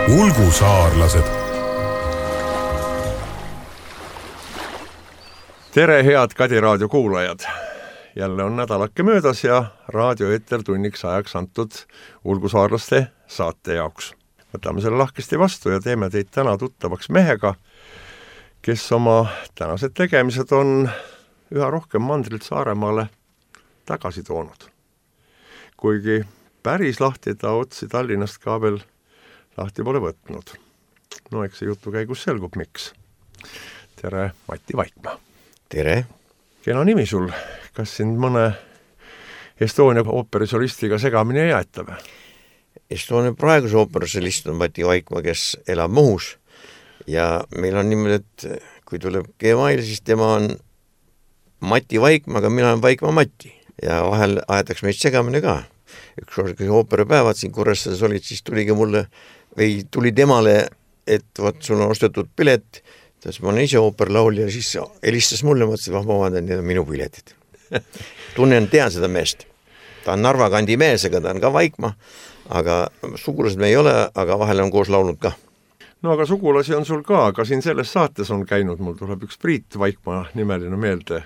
Ulgusaarlased. Tere, head Kadi raadio kuulajad! Jälle on nädalake möödas ja raadioeeter tunniks ajaks antud ulgusaarlaste saate jaoks. Võtame selle lahkesti vastu ja teeme teid täna tuttavaks mehega, kes oma tänased tegemised on üha rohkem mandrilt Saaremaale tagasi toonud. Kuigi päris lahti ta otsi Tallinnast ka veel lahti pole võtnud. No eks see jutu käigus selgub, miks. Tere, Mati Vaikmaa! Tere! Kena nimi sul. Kas sind mõne Estonia ooperisolistiga segamini ei jäeta või? Estonia praeguse ooperisolist on Mati Vaikmaa, kes elab Muhus. Ja meil on niimoodi, et kui tuleb Gmail, siis tema on Mati Vaikmaa, aga mina olen Vaikmaa Mati. Ja vahel aetaks meid segamini ka. Üks kui ooperipäevad siin Kuressades olid, siis tuli temale, et võt, sul on ostetud pilet, tähendab, ma olen ise ooperlaul ja siis helistas mulle, mõtlesin, ma vabandan, need on minu piletid. Tean seda meest. Ta on Narva kandi mees, aga ta on ka Vaikmaa, aga sugulased me ei ole, aga vahel on koos laulnud ka. No aga sugulasi on sul ka siin selles saates on käinud, mul tuleb üks Priit Vaikmaa nimeline meelde,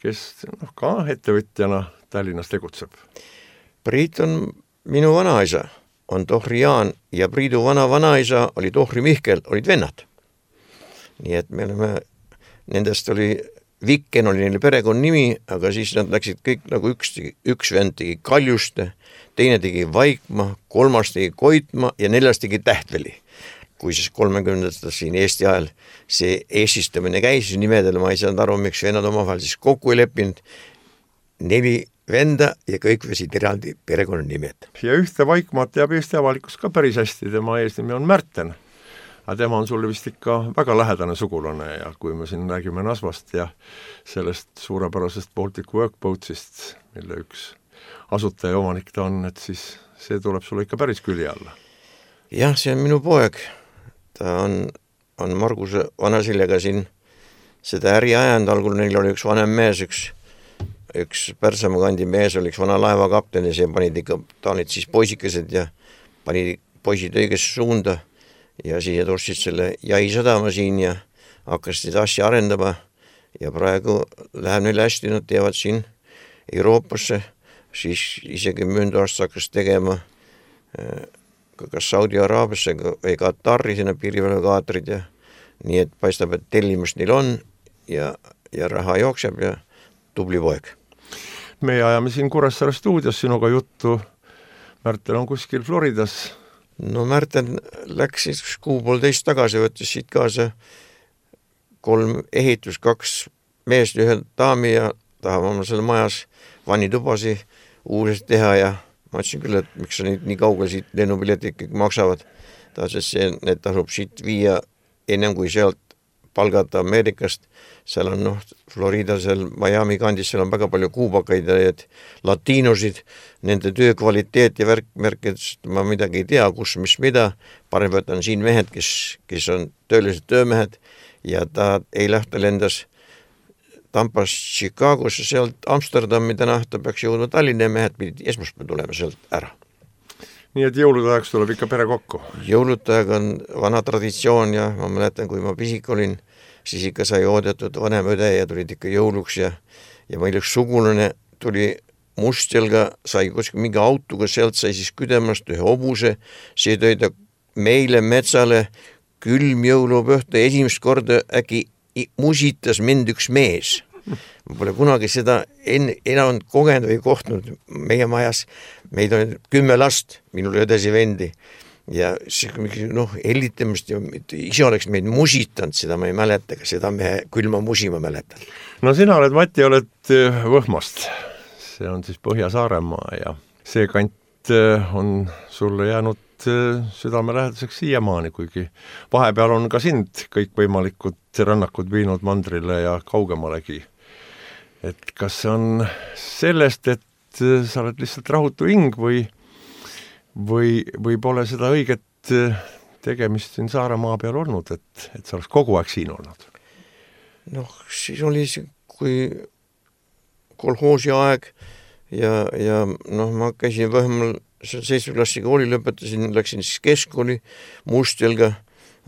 kes ka ettevõtjana Tallinnas tegutseb. Priit on minu vanaisa, on tohri Jaan ja Priidu vanaisa oli tohri Mihkel, olid vennad. Nii et me oleme, nendest oli Vikken oli neile perekonna nimi, aga siis nad läksid kõik nagu üks vend tegi Kaljuste, teine tegi Vaikmaa, kolmas tegi Koitmaa ja neljas tegi Tähtveli. Kui siis 30. siin Eesti ajal see eesistamine käis nimedele, ma ei saanud aru, miks vennad omavahel siis kokku ei leppinud, 4 venda ja kõik võsid eraldi perekonna nimed. Ja ühte Vaikmaat teab Eesti avalikkus ka päris hästi, tema eesnimi on Märten. Aga tema on sulle vist ikka väga lähedane sugulane ja kui me siin räägime Nasvast ja sellest suurepärasest Baltic Workboatsist, mille üks asutaja omanik ta on, et siis see tuleb sulle ikka päris küli alla. Jah, see on minu poeg. Ta on Marguse Vanasiljaga siin seda äri ajanud, algul neil oli üks vanem mees, üks Pärsamaa kandi mees oli üks vana laevakapten ja see panid ikka, ta olid siis poisikesed ja panid poisid õigesse suunda ja siis ostsid selle Jaisadama siin ja hakkasid asja arendama ja praegu läheb neile hästi, nad teevad siin Euroopasse, siis isegi möönda aasta hakkas tegema kas Saudi Araabiasse või Katari sinna piirivalvekaatrid ja nii, et paistab, et tellimust neil on ja raha jookseb ja tubli poeg. Me ajame siin Kuressaare stuudios sinuga juttu. Märten on kuskil Floridas. No Märten läks siis 1.5 tagasi, võttis siit kaasa 3 ehitus, 2 meest ja 1 daami ja tahame oma selle majas vannitubasi uuesti teha ja ma ütlesin küll, et miks sa nii kaugel siit lennupiletid kõik maksavad. Need tasub siit viia ennem kui sealt palgata Ameerikast. Seal on Florida, seal Miami kandis, seal on väga palju kuubakaid ja latiinosid, nende töö kvaliteet ja märked, ma midagi ei tea, kus, mis mida. Parem võtan siin mehed, kes on töölised töömehed ja ta eilahta lendas Tampast Chicagosse, sealt Amsterdami täna ta peaks jõudma Tallinna ja mehed pidid esmaspäev tulema sealt ära. Nii et jõulutajaks tuleb ikka pere kokku? Jõulutajaga on vana traditsioon ja ma mäletan, kui ma pisik olin, siis ikka sai oodatud vanem õde ja tulid ikka jõuluks ja meil üks sugulane tuli Mustjalga, sai kuskil mingi autoga, sealt sai siis küdemast ühe hobuse, see tõi ta meile metsale külm jõulupühta esimest korda äkki musitas mind üks mees. Ma pole kunagi seda enam kogenud või kohtnud meie majas. Meid on 10 last, minul õdesi vendi ja hellitamist ja ise oleks meid musitanud, seda ma ei mäleta, aga seda me külma musi ma mäletan. No sina oled, Mati, oled Võhmast. See on siis Põhja-Saaremaa ja see kant on sulle jäänud südamelähedaseks siiamaani, kuigi vahepeal on ka sind kõikvõimalikud rannakud viinud mandrile ja kaugemalegi. Et kas see on sellest, et sa oled lihtsalt rahutu hing või pole seda õiget tegemist siin Saaremaa peal olnud, et sa oleks kogu aeg siin olnud? Siis oli see, kui kolhoosi aeg ja noh, ma käisin Võhmal 7. klassi kooli lõpetasin, läksin siis keskkooli Mustjalga,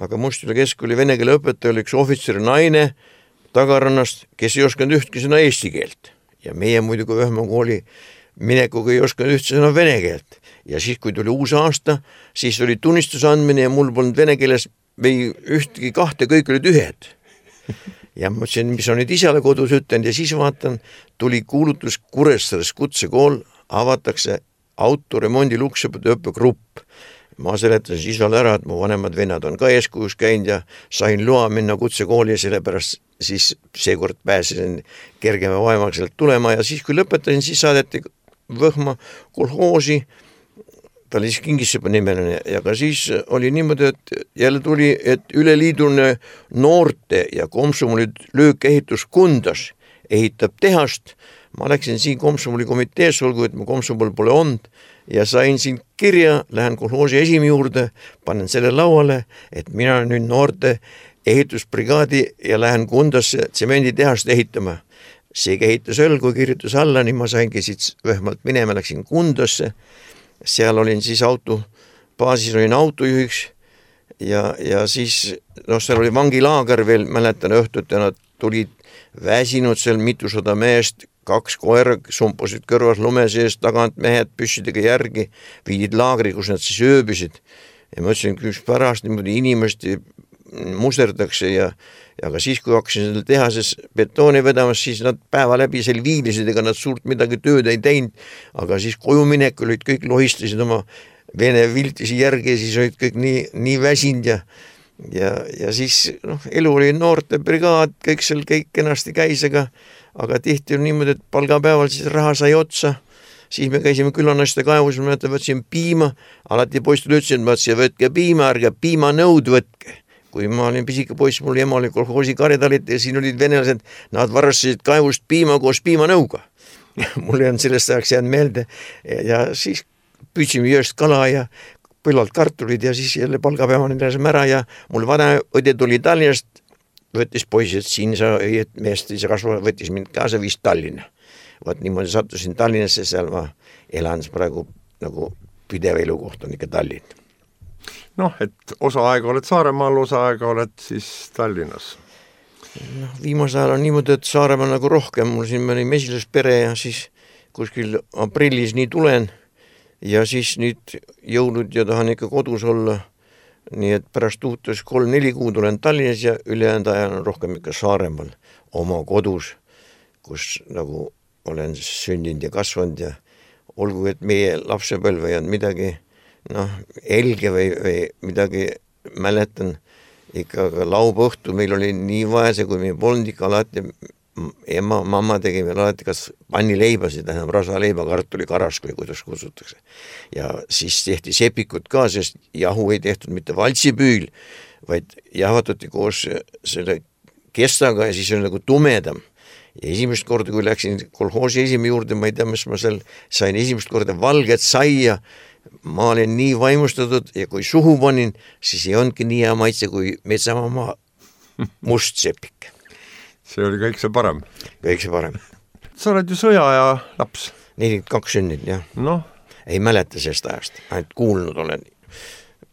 aga Mustjalga keskkooli vene keele õpetaja oli üks ohvitseri naine Tagarannast, kes ei osanud ühtki sõna eesti keelt ja meie muidugi Võhma kooli minekuga ei osanud ühtki sõna vene keelt ja siis, kui tuli uus aasta, siis oli tunnistuse andmine ja mul polnud vene keeles või ühtegi kahte, kõik olid ühed. Ja ma mõtlesin, mis on nüüd isale kodus ütlenud ja siis vaatan, tuli kuulutus Kuressaares kutsekool, avatakse autoremondi luksõpede õppegrupp. Ma seletasin isale ära, et mu vanemad vennad on ka eeskujus käinud ja sain loa minna kutsekooli ja sellepärast siis seekord pääsesin kergema vaemaga sealt tulema ja siis, kui lõpetasin, siis saadeti Võhma kolhoosi, ta oli siis Kingissepa nimeline ja ka siis oli niimoodi, et jälle tuli, et üleliidune noorte ja Komsomoli löökehitus Kundas ehitab tehast. Ma läksin siin Komsomoli komitees, olgu, et mu Komsomol pole olnud ja sain siin kirja, lähen kolhoosi esimi juurde, panen selle lauale, et mina nüüd noorte ehitusbrigaadi ja lähen Kundasse tsemenditehast ehitama. See ehitas õlgu, kirjutas alla, nii ma saingi siit Võhmalt minema, läksin Kundasse. Seal olin siis baasis olin autojuhiks ja siis seal oli vangilaager veel, mäletan õhtut ja nad tulid väsinud seal mitusada meest, 2 koera sumpusid kõrvas lume sees, tagant mehed püssidega järgi, viidid laagri, kus nad siis ööbisid ja ma ütlesin, kus pärast niimoodi inimesti musterdakse ja ka siis, kui hakkasin seal tehases betooni vedamas, siis nad päeva läbi seal viilisid, ega nad suurt midagi tööd ei teinud, aga siis koju minek olid kõik lohistasid oma vene viltisi järgi ja siis olid kõik nii väsinud ja siis elu oli noorte brigaad, kõik seal kõik kenasti käis, aga tihti on niimoodi, et palgapäeval siis raha sai otsa, siis me käisime külanaiste kaevus, ma võtsin piima, alati poistele ütlesin, et võtke piima, ärge piimanõud võtke. Kui ma olin pisike poiss, mul ema oli kolhoosi karjadalit ja siin olid venelased, nad varastasid kaevust piima koos piimanõuga. Mul on sellest ajaks jäänud meelde ja siis püüdsime jõest kala ja põllalt kartulid ja siis jälle palgapäevani läsime ära ja mul vana õde tuli Tallinnast, võttis poisid, siin sa õied meest, see kasva, võttis mind kaasa viis Tallinna. Võt niimoodi sattusin Tallinnasse, seal ma elan praegu nagu pidev elukoht on ikka Tallinn. Et osa aega oled Saaremaal, osa aega oled siis Tallinnas. Viimase ajal on niimoodi, et Saaremaal nagu rohkem, mul siin mõni mesilaspere ja siis kuskil aprillis nii tulen ja siis nüüd jõulud ja tahan ikka kodus olla, nii et pärast uutus 3-4 kuud olen Tallinnas ja ülejäänud ajal on rohkem ikka Saaremaal oma kodus, kus nagu olen sündinud ja kasvanud ja olgu, et meie lapsepõlve ja midagi elge või midagi mäletan, ikka laupäeva õhtu meil oli nii vaese, kui meil polnud ikka alati, mamma tegi meil alati kas pannileibasid, rasaleiba, kartuli karas, kui kuidas kutsutakse. Ja siis tehti sepikut ka, sest jahu ei tehtud mitte valtsipüül, vaid jahatati koos selle kestaga ja siis oli nagu tumedam. Ja esimest korda, kui läksin kolhoosi esimi juurde, ma ei tea, mis ma seal sain esimest korda valget saia, ma olin nii vaimustatud ja kui suhu panin, siis ei olnudki nii hea maitse kui metsamaa must sepik. See oli kõik see parem. Kõik see parem. Sa oled ju sõjaaja laps. 42 sünnid, jah. Ei mäleta sellest ajast, ainult kuulnud olen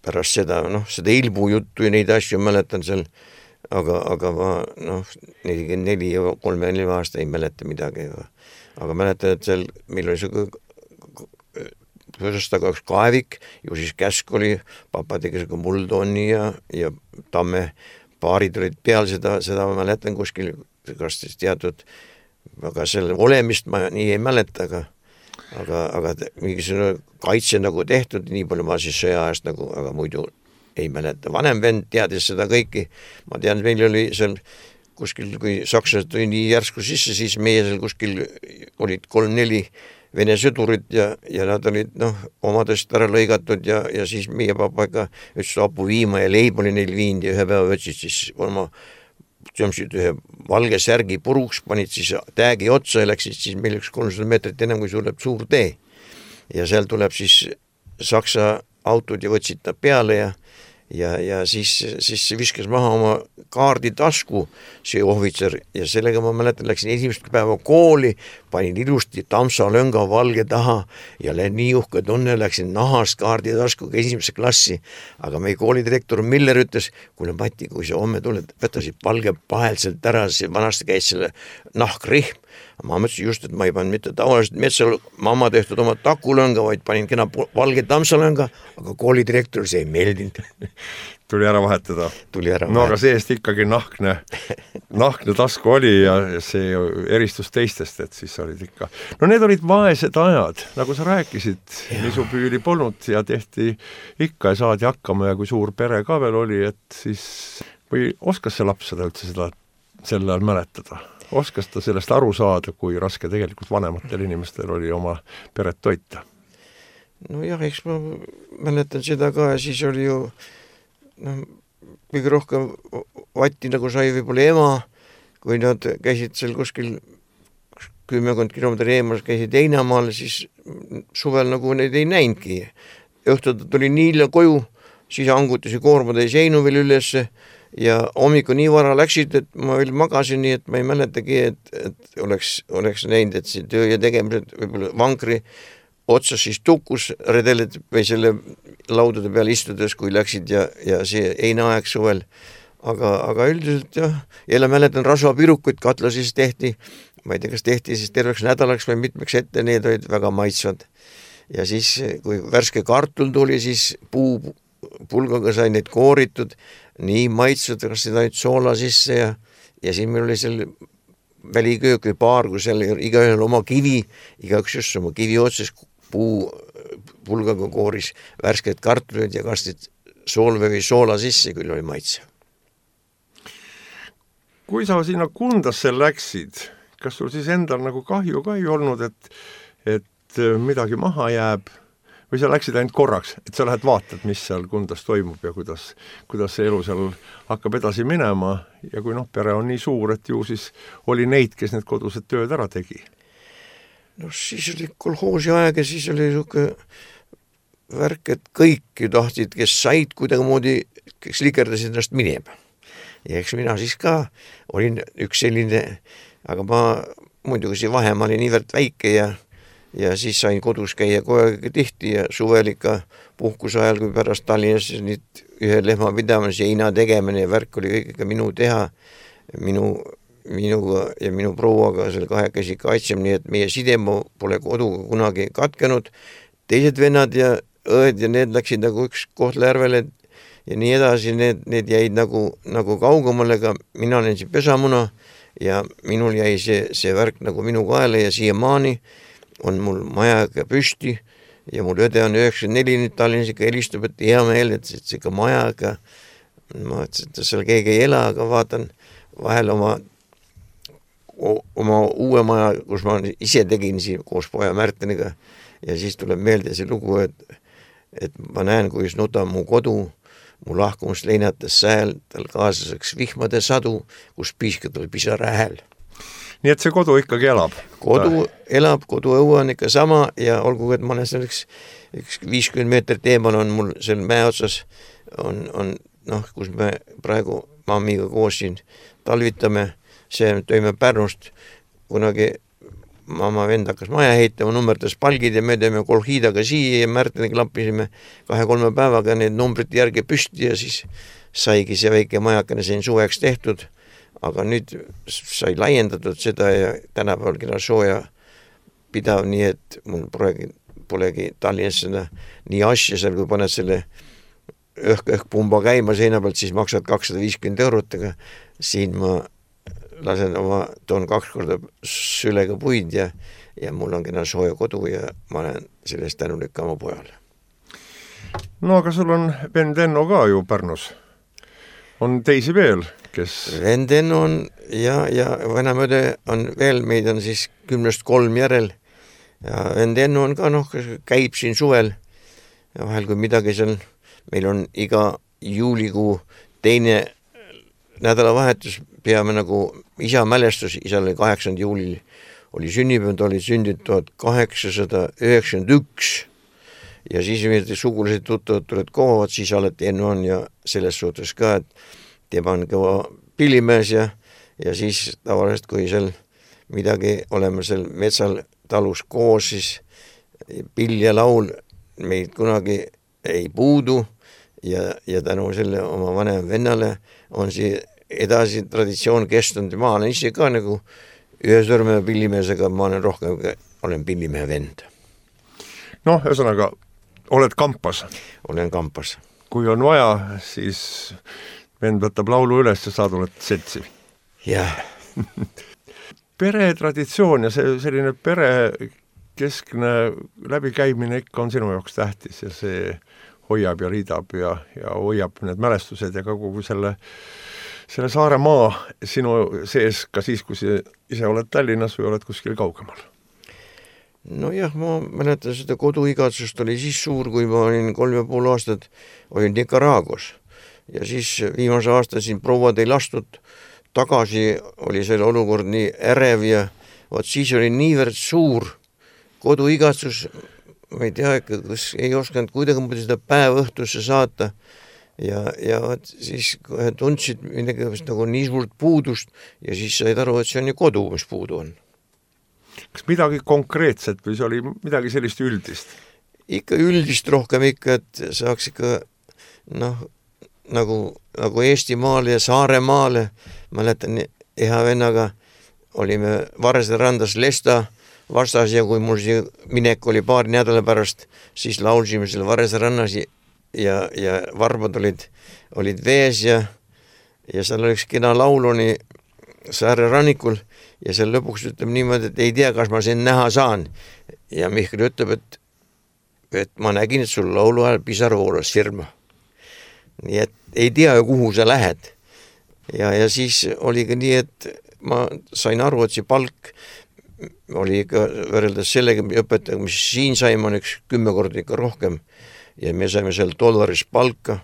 pärast seda, seda ilbu juttu ja neid asju mäletan seal, aga ma 44 ja 34 aasta ei mäleta midagi, aga mäletan, et seal meil oli see Võsastaga üks kaevik, ju siis käsk oli, papa tegi muldonni ja tamme paarid olid peal, seda ma mäletan kuskil, kas teatud, aga selle olemist ma nii ei mäleta, aga mingisugune kaitse nagu tehtud, nii palju ma siis sõjaajast nagu, aga muidu ei mäleta. Vanem vend teadis seda kõiki, ma tean, meil oli seal kuskil, kui sakslased tuli nii järsku sisse, siis meie seal kuskil olid 3-4 vene sõdurid ja nad olid omadest ära lõigatud ja siis meie papa ikka ütles apu viima ja leib oli neil viinud ja ühe päeva võtsid siis oma ühe valge särgi puruks, panid siis täägi otsa ja läksid siis meil üks 300 meetrit enam kui tuleb suur tee ja seal tuleb siis saksa autod ja võtsid ta peale ja siis viskas maha oma kaarditasku see ohvitser ja sellega ma mäletan, läksin esimest päeva kooli, panin ilusti tamsalönga valge taha ja nii uhke tunne, läksin nahast kaarditaskuga esimesse klassi, aga meie koolidirektor Miller ütles, kuule Mati, kui sa homme tuled, võta siit valge pahelt sealt ära, see vanasti käis selle nahkrihm. Ma mõtlesin just, et ma ei pannud mitte tavaliselt metsal mamma tehtud oma takulõnga, vaid panin kena valge tamsalõnga, aga koolidirektor see ei meeldinud. Tuli ära vahetada. No aga seest ikkagi nahkne tasku oli ja see eristus teistest, et siis olid ikka. No need olid vaesed ajad, nagu sa rääkisid, nisupüüli polnud ja tehti ikka ja saadi hakkama ja kui suur pere ka veel oli, et siis või oskas see laps seda üldse seda sel ajal mäletada? Oskas ta sellest aru saada, kui raske tegelikult vanematel inimestel oli oma peret toita? No jah, eks ma mäletan seda ka ja siis oli ju kõige rohkem vatti nagu sai võib-olla ema, kui nad käisid seal kuskil 10 kilomeetri eemas, käisid Heinamaal, siis suvel nagu neid ei näinudki. Õhtul tuli nii hilja koju, siis angutisi koormatäis Heinu veel ülesse ja hommiku nii vara läksid, et ma veel magasin nii, et ma ei mäletagi, et oleks näinud, et see töö ja tegemised võib-olla vankri otsas siis tukkus redeled või selle laudade peal istudes, kui läksid ja see heinaaeg suvel. Aga üldiselt jah, jälle mäletan rasvapirukuid katla siis tehti, ma ei tea, kas tehti siis terveks nädalaks või mitmeks ette, need olid väga maitsvad. Ja siis, kui värske kartul tuli, siis puupulgaga sai neid kooritud, nii maitsvad, kas seda nüüd soola sisse ja siin meil oli seal väliköök või paar, kui seal igaühel oma kivi, igaüks just oma kivi otsas puupulgaga kooris värsked kartulid ja kastid soolve või soola sisse, küll oli maitse. Kui sa sinna Kundasse läksid, kas sul siis endal nagu kahju ka ei olnud, et midagi maha jääb või sa läksid ainult korraks, et sa lähed vaatad, mis seal Kundas toimub ja kuidas see elu seal hakkab edasi minema ja kui pere on nii suur, et ju siis oli neid, kes need kodused tööd ära tegi? No siis oli kolhoosi aeg ja siis oli niisugune värk, et kõik ju tahtsid, kes said kuidagimoodi, kes likerdasid ennast minema. Ja eks mina siis ka olin üks selline, aga ma muidugi see vahemaa oli niivõrd väike ja siis sain kodus käia kogu aeg tihti ja suvel ikka puhkuse ajal, kui pärast Tallinnas nüüd ühe lehma pidamas ja heina tegemine ja värk oli kõik ikka minu teha, minuga ja minu prouaga seal kahekesi kaitsem, nii et meie sidema pole koduga kunagi katkenud. Teised vennad ja õed ja need läksid nagu üks Kohtla-Järvele ja nii edasi, need jäid nagu kaugemale, aga mina olen siin pesamuna ja minul jäi see värk nagu minu kaela ja siiamaani on mul majaga püsti ja mul õde on 94 nüüd Tallinnas ikka helistab, et hea meel, et see ikka majaga, ma ütlesin, et seal keegi ei ela, aga vaatan vahel oma uue maja, kus ma ise tegin siin koos poja Märteniga ja siis tuleb meelde see lugu, et ma näen, kuidas nutab mu kodu, mu lahkumust leinates sääl, tal kaaslaseks vihmade sadu, kus piiskab tal pisara hääl. Nii et see kodu ikkagi elab? Kodu elab, kodu õue on ikka sama ja olgu, et ma olen selleks 50 meetrit eemal on mul seal mäe otsas, on kus me praegu mammiga koos siin talvitame, see tõime Pärnust, kunagi mamma vend hakkas maja heitama, nummerdas palgid ja me teeme kolhiidaga siia ja Märteniga lappisime 2-3 päevaga need numbrid järgi püsti ja siis saigi see väike majakene siin suveks tehtud, aga nüüd sai laiendatud seda ja tänapäeval kena sooja pidav, nii et mul polegi Tallinnas seda nii asja seal, kui paned selle õhk-pumba käima seina pealt, siis maksad 250 €, aga siin ma lasen toon 2 korda sülega puid ja mul on kena sooja kodu ja ma olen sellest tänulik oma pojale. No aga sul on vend Enno ka ju Pärnus. On teisi veel, kes... Vend Enno on ja vanemõde on veel, meid on siis 10-3 järel ja vend Enno on ka käib siin suvel ja vahel kui midagi seal, meil on iga juulikuu teine nädalavahetus, peame nagu isa mälestus, isal oli 8. juulil oli sünnipäev, ta oli sündinud 1891 ja siis sugulased tuttavad tuled kohavad, siis alati enne on ja selles suhtes ka, et tema on kõva pillimees ja siis tavaliselt, kui seal midagi oleme seal metsal talus koos, siis pill ja laul meid kunagi ei puudu ja tänu selle oma vanem vennale on see edasi traditsioon kestnud ja ma olen ise ka nagu ühe sõrme pillimees, aga ma olen pillimehe vend. Noh, ühesõnaga, oled kampas? Olen kampas. Kui on vaja, siis vend võtab laulu üles ja sa tuled setsi. Jah. Peretraditsioon ja selline perekeskne läbikäimine ikka on sinu jaoks tähtis ja see hoiab ja riidab ja hoiab need mälestused ja kogu selle Saaremaa sinu sees ka siis, kui ise oled Tallinnas või oled kuskil kaugemal? No jah, ma mäletan seda koduigatsust oli siis suur, kui ma olin 3,5 aastat, olin Nicaraguas ja siis viimase aasta siin prouad ei lastud tagasi, oli selle olukord nii ärev ja siis oli niivõrd suur koduigatsus, ma ei tea, kas ei osanud kuidagi seda päeva õhtusse saata ja siis tundsid midagi nagu nii suurt puudust ja siis said aru, et see on ju kodu, mis puudu on. Kas midagi konkreetset või see oli midagi sellist üldist? Ikka üldist rohkem ikka, et saaks ikka nagu Eestimaale ja Saaremaale. Mäletan, eha vennaga olime Varesde randas Lesta vastas ja kui mul see minek oli paari nädala pärast, siis laulsime selle Varesde rannas ja varbad olid vees ja seal oli üks kena lauluni Saare rannikul ja seal lõpuks ütleb niimoodi, et ei tea, kas ma siin näha saan. Ja Mihkel ütleb, et ma nägin, et sul laulu ajal pisar voolas firma. Nii et ei tea, kuhu sa lähed. Ja siis oli ka nii, et ma sain aru, et see palk oli ikka võrreldes sellega õpetajaga, mis siin saime, on 10 korda ikka rohkem. Ja me saime seal $, palka,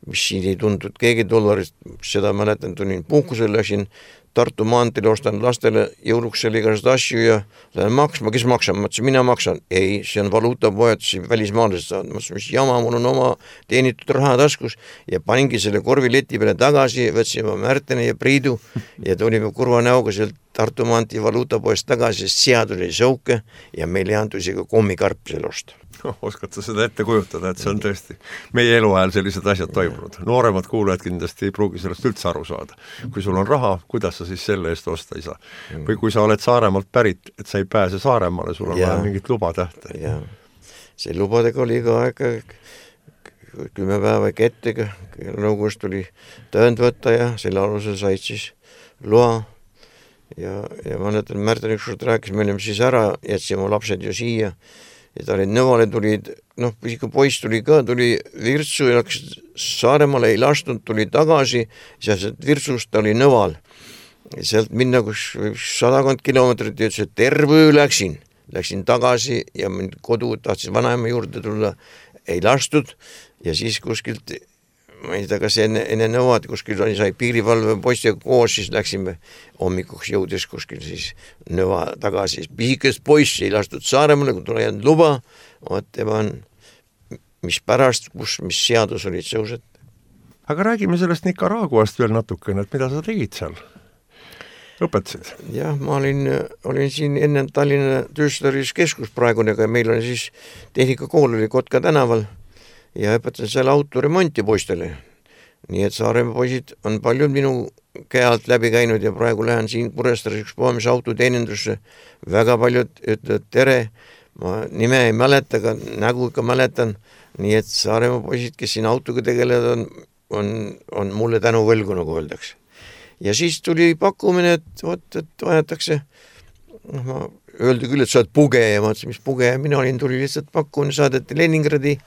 mis siin ei tuntud keegi $, seda mäletan, tulin puhkusel, läksin Tartu maanteel, ostan lastele jõuluks selle igast asju ja lähen maksma, kes maksab? Ma ütlesin, mina maksan. Ei, see on valuutapoed, see välismaalased saavad. Ma ütlesin, mis jama, mul on oma teenitud raha taskus ja paningi selle korvileti peale tagasi, võtsin ma Märtene ja Priidu ja tulime kurva näoga sealt Tartu maantee valuutapoest tagasi, sest sead oli sõuke ja meil ei antud isegi kommikarp selle osta. Oskad sa seda ette kujutada, et see on tõesti meie eluajal sellised asjad toimunud. Nooremad kuulajad kindlasti ei pruugi sellest üldse aru saada. Kui sul on raha, kuidas sa siis selle eest osta ei saa? Või kui sa oled Saaremaalt pärit, et sa ei pääse Saaremaale, sul on vaja mingit luba tähte. Ja. See lubadega oli ka aega 10 päeva ettega, nõukogust tuli tõend võtta ja selle alusel said siis loa. Ja ma näitan, Märten ükskord rääkis, me olime siis ära, jätsime lapsed ju siia ja ta olid nõvale, tulid, poiss tuli Virtsu ja läks Saaremaale, ei lastud, tuli tagasi, sealt Virtsust ta oli nõval. Ja sealt minna 100 kilomeetrit ja ütles, et terve öö läksin tagasi ja kodu tahtsin vanaema juurde tulla, ei lastud ja siis kuskilt, ma ei tea, kas enne nõvad, kuskil sai piirivalve poistiga koos, siis läksime hommikuks jõudes kuskil siis nõva tagasi. Pisikest poissi ei lastud Saaremaale, kui tule jäänud luba, mis pärast, mis seadus olid sõused. Aga räägime sellest Nicaraguast veel natukene, et mida sa tegid seal? Õpetasid? Jah, ma olin siin enne Tallinna töösturis keskus praegune, meil oli siis tehnikakool oli Kotka tänaval ja õpetasin seal autoremonti poistele. Nii et Saaremaa poisid on paljud minu käe alt läbi käinud ja praegu lähen siin Kurestaares üks poemis autoteenindusse. Väga paljud ütlevad tere, ma nime ei mäleta, aga nägu ikka mäletan. Nii et Saaremaa poisid, kes siin autoga tegelevad, on mulle tänu võlgu, nagu öeldakse. Ja siis tuli pakkumine, et vajatakse, ma öeldi küll, et sa oled pugeja, ma ütlesin, mis pugeja, tuli lihtsalt pakkumine, saadeti Leningradi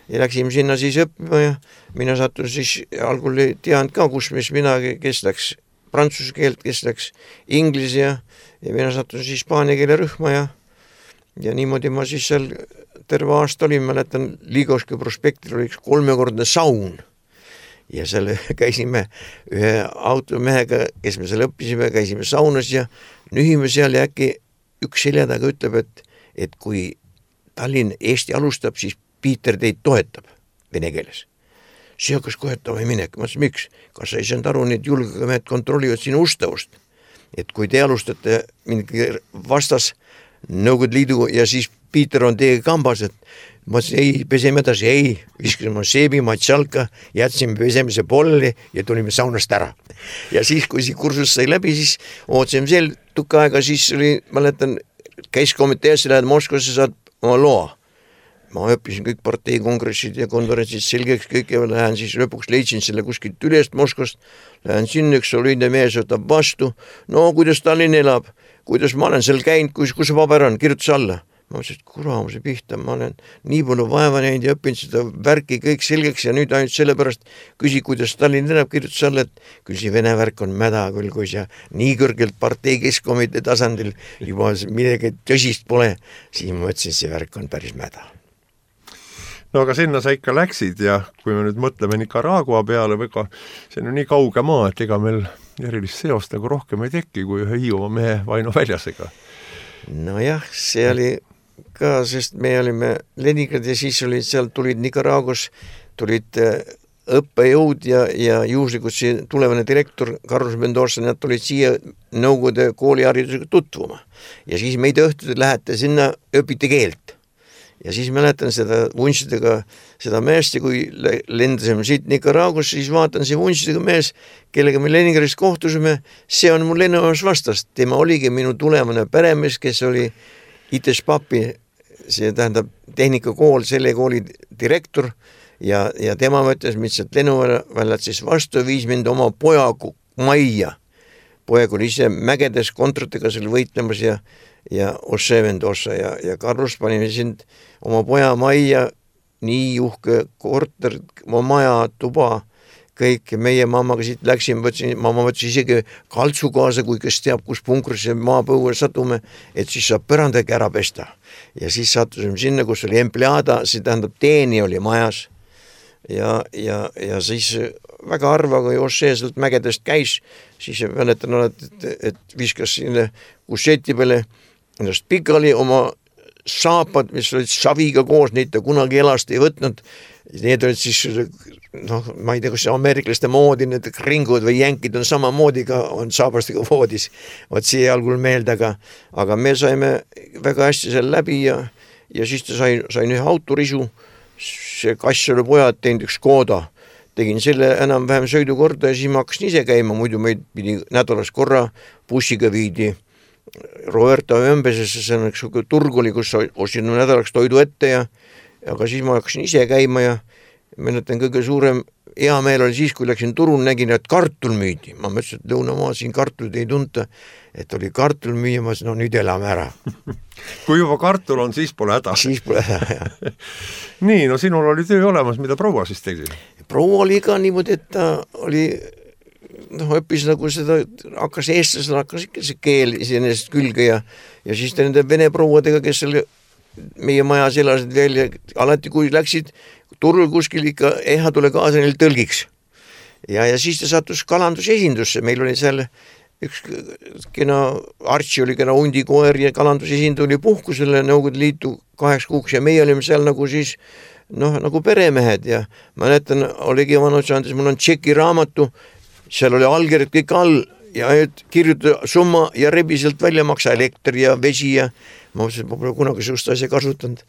ja läksime sinna siis õppima ja mina sattun siis, algul ei teadnud ka, kus kes läks prantsuse keelt, kes läks inglise ja mina sattun siis hispaania keele rühma ja niimoodi ma siis seal terve aasta olin, mäletan, Liigoski prospektil oli üks 3-kordne saun ja seal käisime ühe automehega, kes me seal õppisime, käisime saunas ja nühime seal ja äkki üks selja taga ütleb, et kui Tallinn Eesti alustab, siis Piiter teid toetab vene keeles. See hakkas kohetama ei minek. Ma ütlesin, miks? Kas sa ei saanud aru, need julgemehed kontrollivad sinu ustavust? Et kui te alustate mingi vastas Nõukogude Liidu ja siis Piiter on teiega kambas, et ma ütlesin, ei, peseme edasi, ei, viskasime seebi, matšalka, jätsime pesemise polli ja tulime saunast ära. Ja siis, kui see kursus sai läbi, siis ootasime seal tukka aega, siis oli, mäletan, käiskomiteesse lähed Moskvasse, saad oma loa. Ma õppisin kõik partei kongressid ja konverentsid selgeks kõik ja lähen siis lõpuks leidsin selle kuskilt ülest Moskvast, lähen sinna, üks soliidne mees võtab vastu, no kuidas Tallinn elab, kuidas ma olen seal käinud, kus see paber on, kirjutas alla. Ma mõtlesin, et kuramuse pihta, ma olen nii palju vaeva näinud ja õppinud seda värki kõik selgeks ja nüüd ainult sellepärast küsi, kuidas Tallinn elab, kirjutas alla, et küll see vene värk on mäda küll, kui see nii kõrgelt partei keskkomitee tasandil juba midagi tõsist pole, siis ma mõtlesin, see värk on päris mäda. No aga sinna sa ikka läksid ja kui me nüüd mõtleme Nicaragua peale, väga see on nii kauge maa, et ega meil erilist seost nagu rohkem ei teki kui ühe Hiiumaa mehe Vaino Väljasega. Nojah, see oli ka, sest me olime Leningrad ja siis olid seal, tulid Nicaraguas, tulid õppejõud ja juhuslikult see tulevane direktor Carlos Mendoza, nad tulid siia Nõukogude kooliharidusega tutvuma. Ja siis meid õhtud lähete sinna, õpite keelt. Ja siis mäletan seda vuntsidega seda meest ja kui lendasime siit Nicaraguas, siis vaatan see vuntsidega mees, kellega me Leningradis kohtusime, see on mul lennuvas vastast. Tema oligi minu tulevane peremees, kes oli ITES-PAPi, see tähendab tehnikakool, selle kooli direktor ja tema mõttes mitselt lennuväljad siis vastu viis mind oma poja majja. Poeg oli ise mägedes kontratega seal võitlemas ja Jose Mendoza ja Carlos panime sind oma poja majja, nii uhke korter, oma maja, tuba, kõik meie mammaga siit läksime, mamma võttis isegi kaltsu kaasa, kui kes teab, kus punkrisse maapõue satume, et siis saab põrandagi ära pesta. Ja siis sattusime sinna, kus oli empleada, see tähendab teeni oli majas ja siis väga harva, kui Jose sealt mägedest käis, siis mäletan, et viskas sinna kusseti peale ennast pikali oma saapad, mis olid saviga koos, neid ta kunagi elast ei võtnud. Need olid siis, ma ei tea, kas ameeriklaste moodi, need ringud või jänkid on samamoodi ka, on saabastega voodis. Võt see algul meelde, aga me saime väga hästi seal läbi ja siis ta sain ühe autorisu, see kass oli pojad teinud üks Škoda. Tegin selle enam-vähem sõidukorda ja siis ma hakkasin ise käima, muidu meid pidi nädalas korra bussiga viidi Roberta Ömbesesse, see on üks turg oli, kus ostsin nädalaks toidu ette aga siis ma hakkasin ise käima ja mäletan kõige suurem hea meel oli siis, kui läksin turul, nägin, et kartul müüdi. Ma mõtlesin, et lõunamaa siin kartulit ei tunta, et oli kartul müüa, ma ütlesin, no nüüd elame ära. Kui juba kartul on, siis pole häda. Siis pole häda, jah. Nii, no sinul oli töö olemas, mida proua siis tegi? Proua oli ka niimoodi, et ta oli õppis nagu seda, hakkas eestlasel, hakkas ikka see keel iseenesest külge ja siis ta nende vene prouadega, kes seal meie majas elasid veel ja alati kui läksid turul kuskil ikka tule kaasa neil tõlgiks. Ja siis ta sattus kalandusesindusse, meil oli seal üks kena Artsi oli kena hundikoer ja kalandusesindu oli puhkusele Nõukogude Liitu 8 kuuks ja meie olime seal nagu siis nagu peremehed ja mäletan, oligi vanus andes, mul on tšeki raamatu, seal oli allkirjad kõik all ja kirjuta summa ja rebi sealt välja maksa elekter ja vesi ja ma mõtlesin, et ma pole kunagi sellist asja kasutanud.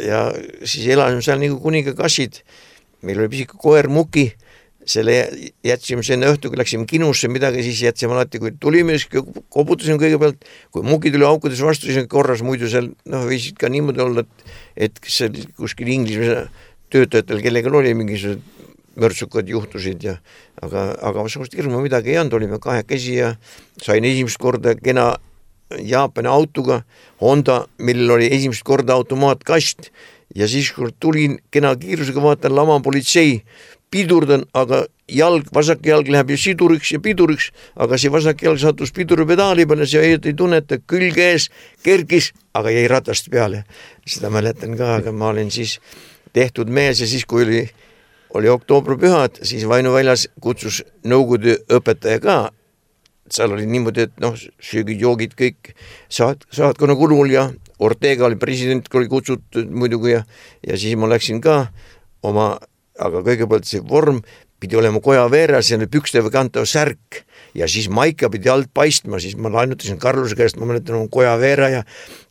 Ja siis elasime seal nagu kuningakassid. Meil oli pisik koer Muki, selle jätsime sinna õhtuga, läksime kinusse midagi, siis jätsime alati, kui tulime, koputasime kõigepealt, kui Muki tuli aukudes vastu, siis korras muidu seal viisid ka niimoodi olla, et seal kuskil Inglismaa töötajatel, kellega oli mingisugused mörtsukad juhtusid aga sellist hirmu midagi ei olnud, olime 2 käsi ja sain esimest korda kena Jaapani autoga Honda, millel oli esimest korda automaatkast ja siis kui tulin kena kiirusega vaatan lama politsei, pidurdan, aga vasak jalg läheb ju piduriks, aga see vasak jalg sattus piduripedaali peale, see ei tunneta külge ees, kerkis, aga jäi ratast peale. Seda mäletan ka, aga ma olin siis tehtud mees ja siis kui oli oktoobripühad, siis Vaino Väljas kutsus Nõukogude õpetaja ka. Seal oli niimoodi, et söögid, joogid kõik saatkonna kulul ja Ortega oli president, oli kutsutud muidugi ja siis ma läksin ka aga kõigepealt see vorm pidi olema koja veeras ja pükstega kantav särk ja siis maika pidi alt paistma, siis ma lainutasin Karluse käest, ma mäletan oma koja veera ja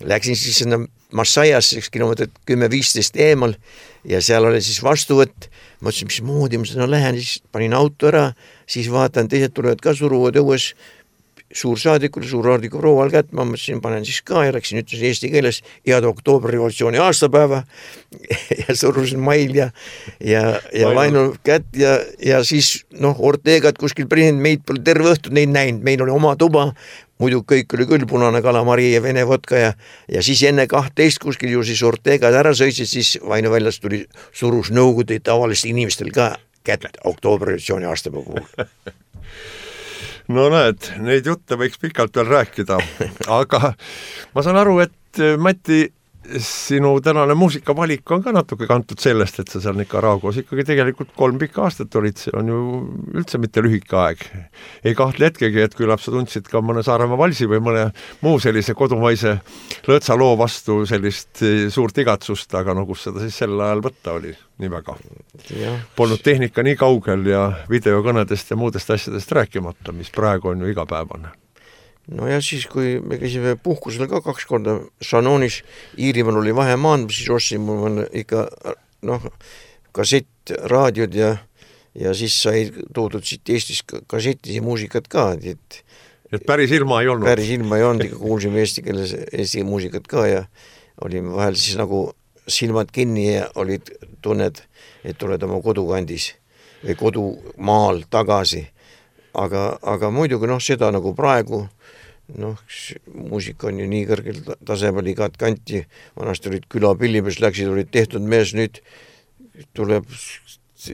läksin siis sinna Massajasse 1 kilomeetrit 10-15 eemal ja seal oli siis vastuvõtt, ma ütlesin, mis moodi ma sinna lähen, siis panin auto ära, siis vaatan, teised tulevad ka suruvad õues, suursaadikul, suursaadiku proual kätt, ma mõtlesin, panen siis ka ja läksin, ütlesin eesti keeles head oktoobrirevolutsiooni aastapäeva ja surusin mail ja Vainul kätt ja siis Ortegat kuskil president, meid pole terve õhtu neid näinud, meil oli oma tuba, muidu kõik oli küll punane kalamari ja vene vodka ja siis enne 12 kuskil ju siis Ortegad ära sõitsid, siis Vainu väljas tuli surus nõukogude tavalistel inimestel ka kätt oktoobrirevolutsiooni aastapäeva puhul. No näed, neid jutte võiks pikalt veel rääkida, aga ma saan aru, et Mati, sinu tänane muusikavalik on ka natuke kantud sellest, et sa seal Nicaraguas ikkagi tegelikult 3 pikka aastat olid, see on ju üldse mitte lühike aeg. Ei kahtle hetkegi, et küllap sa tundsid ka mõne Saaremaa valsi või mõne muu sellise kodumaise lõõtsaloo vastu sellist suurt igatsust, aga kus seda siis sel ajal võtta oli nii väga. Polnud tehnika nii kaugel ja videokõnedest ja muudest asjadest rääkimata, mis praegu on ju igapäevane. No ja siis, kui me käisime puhkusel ka 2 korda Shanonis, Iirimaal oli vahemaand, siis ostsin mul ikka kassett, raadiod ja siis sai toodud siit Eestis kassettisi muusikat ka. Et päris ilma ei olnud? Päris ilma ei olnud, ikka kuulsime eesti keeles eesti muusikat ka ja olime vahel siis nagu silmad kinni ja olid tunned, et oled oma kodukandis või kodumaal tagasi. Aga muidugi seda nagu praegu muusika on ju nii kõrgel tasemel igat kanti, vanasti olid külapillimees, olid tehtud mees, nüüd tuleb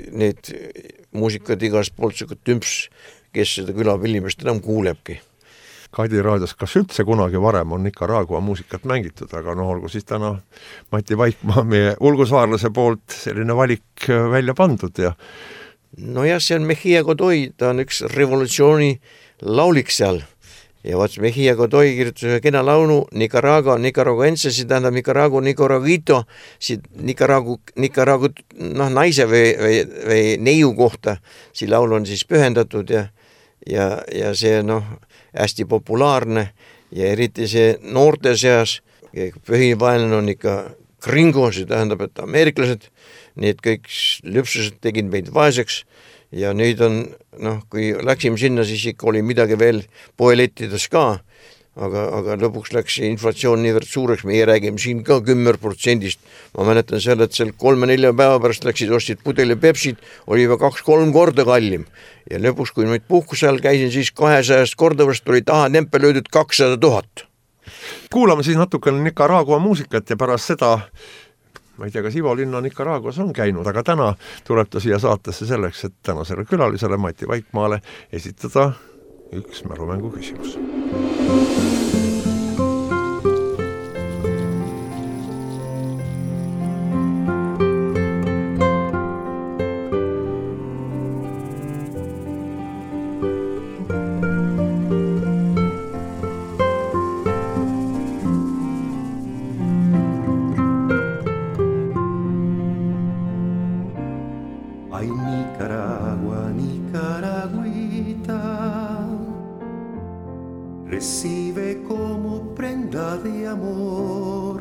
need muusikad igast poolt tümps, kes seda külapillimeest enam kuulebki. Kadi raadios, kas üldse kunagi varem on Nicaragua muusikat mängitud, aga olgu siis täna Mati Vaikmaa meie ulgusaarlase poolt selline valik välja pandud ja jah, see on Mejia Godoy, ta on üks revolutsiooni laulik seal ja Mejia Godoy kirjutas ühe kena laulu Nicaraguense, see tähendab Nicaraguito, Nicaragu naise või neiu kohta, see laul on siis pühendatud ja see hästi populaarne ja eriti see noorte seas, põhivaenlane on ikka gringo, see tähendab, et ameeriklased, need kõik lüpsused tegid meid vaeseks ja nüüd on, kui läksime sinna, siis ikka oli midagi veel poelettides ka, aga lõpuks läks inflatsioon niivõrd suureks, meie räägime siin ka 10%. Ma mäletan seal, et seal 3-4 päeva pärast läksid, ostsid pudeli Pepsit, oli juba 2-3 korda kallim. Ja lõpuks, kui nüüd puhkuse all käisin, siis 200 korda vast oli taha tempel löödud 200 000. Kuulame siis natukene Nicaragua muusikat ja pärast seda, ma ei tea, kas Ivo Linna Nicaraguas on käinud, aga täna tuleb ta siia saatesse selleks, et tänasele külalisele Mati Vaikmaale esitada üks mälumängu küsimus. Recibe como prenda de amor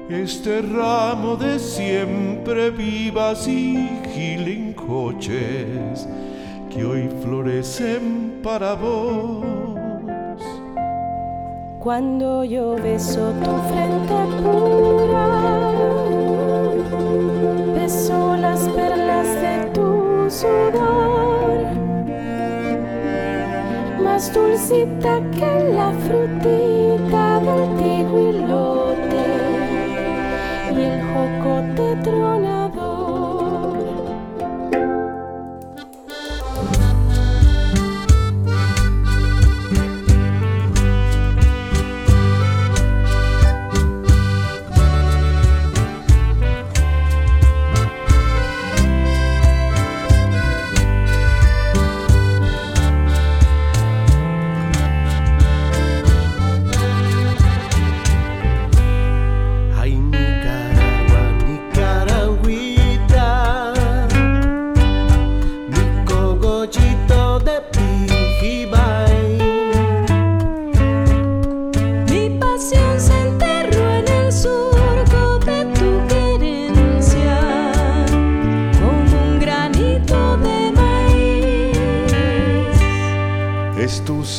este ramo de siempre vivas y gilincoches que hoy florecen para vos. Cuando yo beso tu frente pura, beso las perlas de tu sudor, más dulcita que la frutita del tiguilote y el jocote tronador.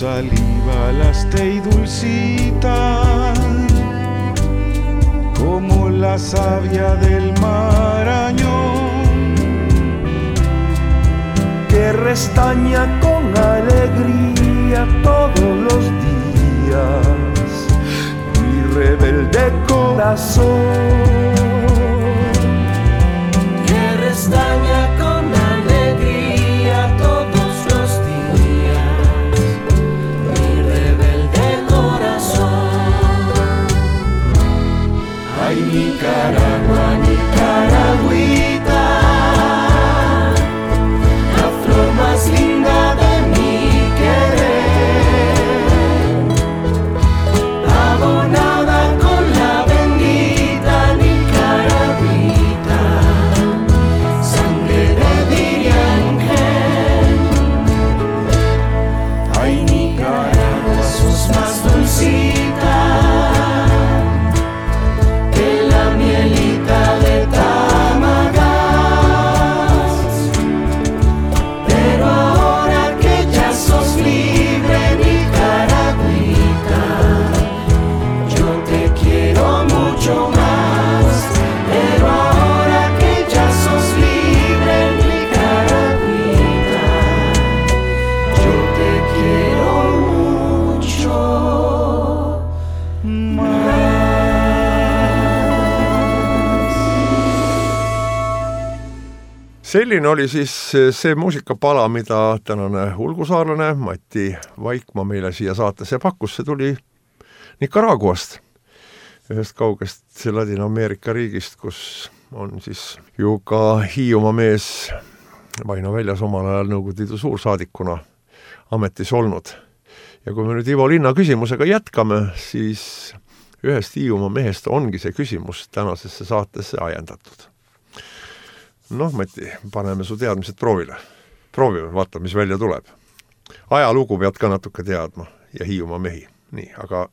saliva y dulcita, como la savia del Marañón, que restaña con alegría todos los días mi rebelde corazón, que restaña con alegría todos los días mi rebelde corazón. Ay, Nicaragua, Nicaragüita, la flor más linda de mi querer, abonada con la bendita Nicaragüita, sangre de Diriangel. Ay, Nicaragua, sos más dulcita que la mielita de Tamagas, pero ahora que ya sos libre, Nicaragüita, yo te quiero mucho más. Pero ahora que ya sos libre, Nicaragüita, yo te quiero mucho más. Selline oli siis see muusikapala, mida tänane ulgusaarlane Mati Vaikmaa meile siia saatesse pakkus. See tuli Nicaraguast, ühest kaugest Ladina-Ameerika riigist, kus on siis ju ka Hiiumaa mees Vaino Väljas omal ajal Nõukogude Liidu suursaadikuna ametis olnud. Ja kui me nüüd Ivo Linna küsimusega jätkame, siis ühest Hiiumaa mehest ongi see küsimus tänasesse saatesse ajendatud. Noh, Mati, paneme su teadmised proovile. Proovime, vaata, mis välja tuleb. Ajalugu pead ka natuke teadma ja Hiiumaa mehi. Nii, aga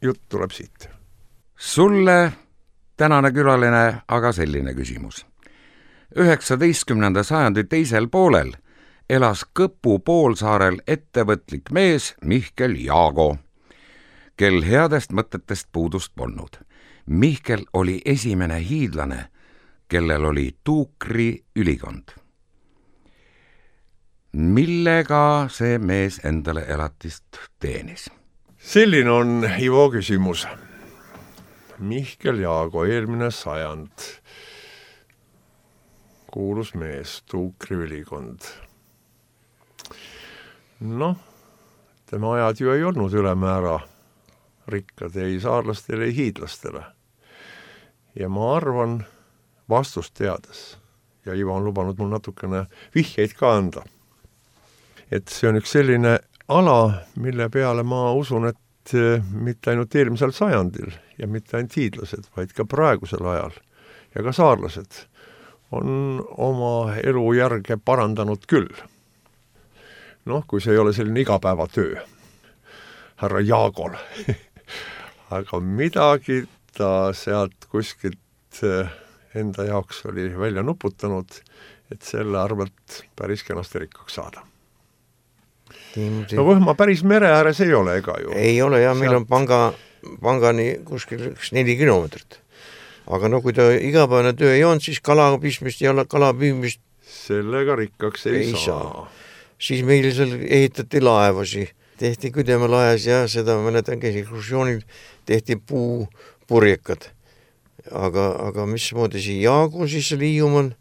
jutt tuleb siit. Sulle tänane külaline aga selline küsimus. 19. sajandi teisel poolel elas Kõpu poolsaarel ettevõtlik mees Mihkel Jaago, kel headest mõtetest puudust polnud. Mihkel oli esimene hiidlane, kellel oli Tuukri ülikond. Millega see mees endale elatist teenis? Selline on Ivo küsimus. Mihkel Jaago, eelmine sajand, kuulus mees, Tuukri ülikond. Noh, tema ajad ju ei olnud ülemäära rikkad ei saarlastele, ei hiidlastele. Ja ma arvan, vastust teades, ja Ivo on lubanud mul natukene vihjeid ka anda, et see on üks selline ala, mille peale ma usun, et mitte ainult eelmisel sajandil ja mitte ainult hiidlased, vaid ka praegusel ajal ja ka saarlased on oma elujärge parandanud küll. Noh, kui see ei ole selline igapäevatöö härra Jaagol, aga midagi ta sealt kuskilt enda jaoks oli välja nuputanud, et selle arvelt päris kenasti rikkaks saada. No Võhma päris mere ääres ei ole, ega ju? Ei ole, ja meil on pangani kuskil 4 kilomeetrit. Aga no kui ta igapäevane töö ei on, siis kalapistmist ja kalapüümist sellega rikkaks ei saa. Siis meil seal ehitati laevasi, tehti Küdemelaes ja seda mäletan käis ekskursioonil, tehti puupurjekad. Aga mismoodi see Jaagu siis oli Hiiumaal,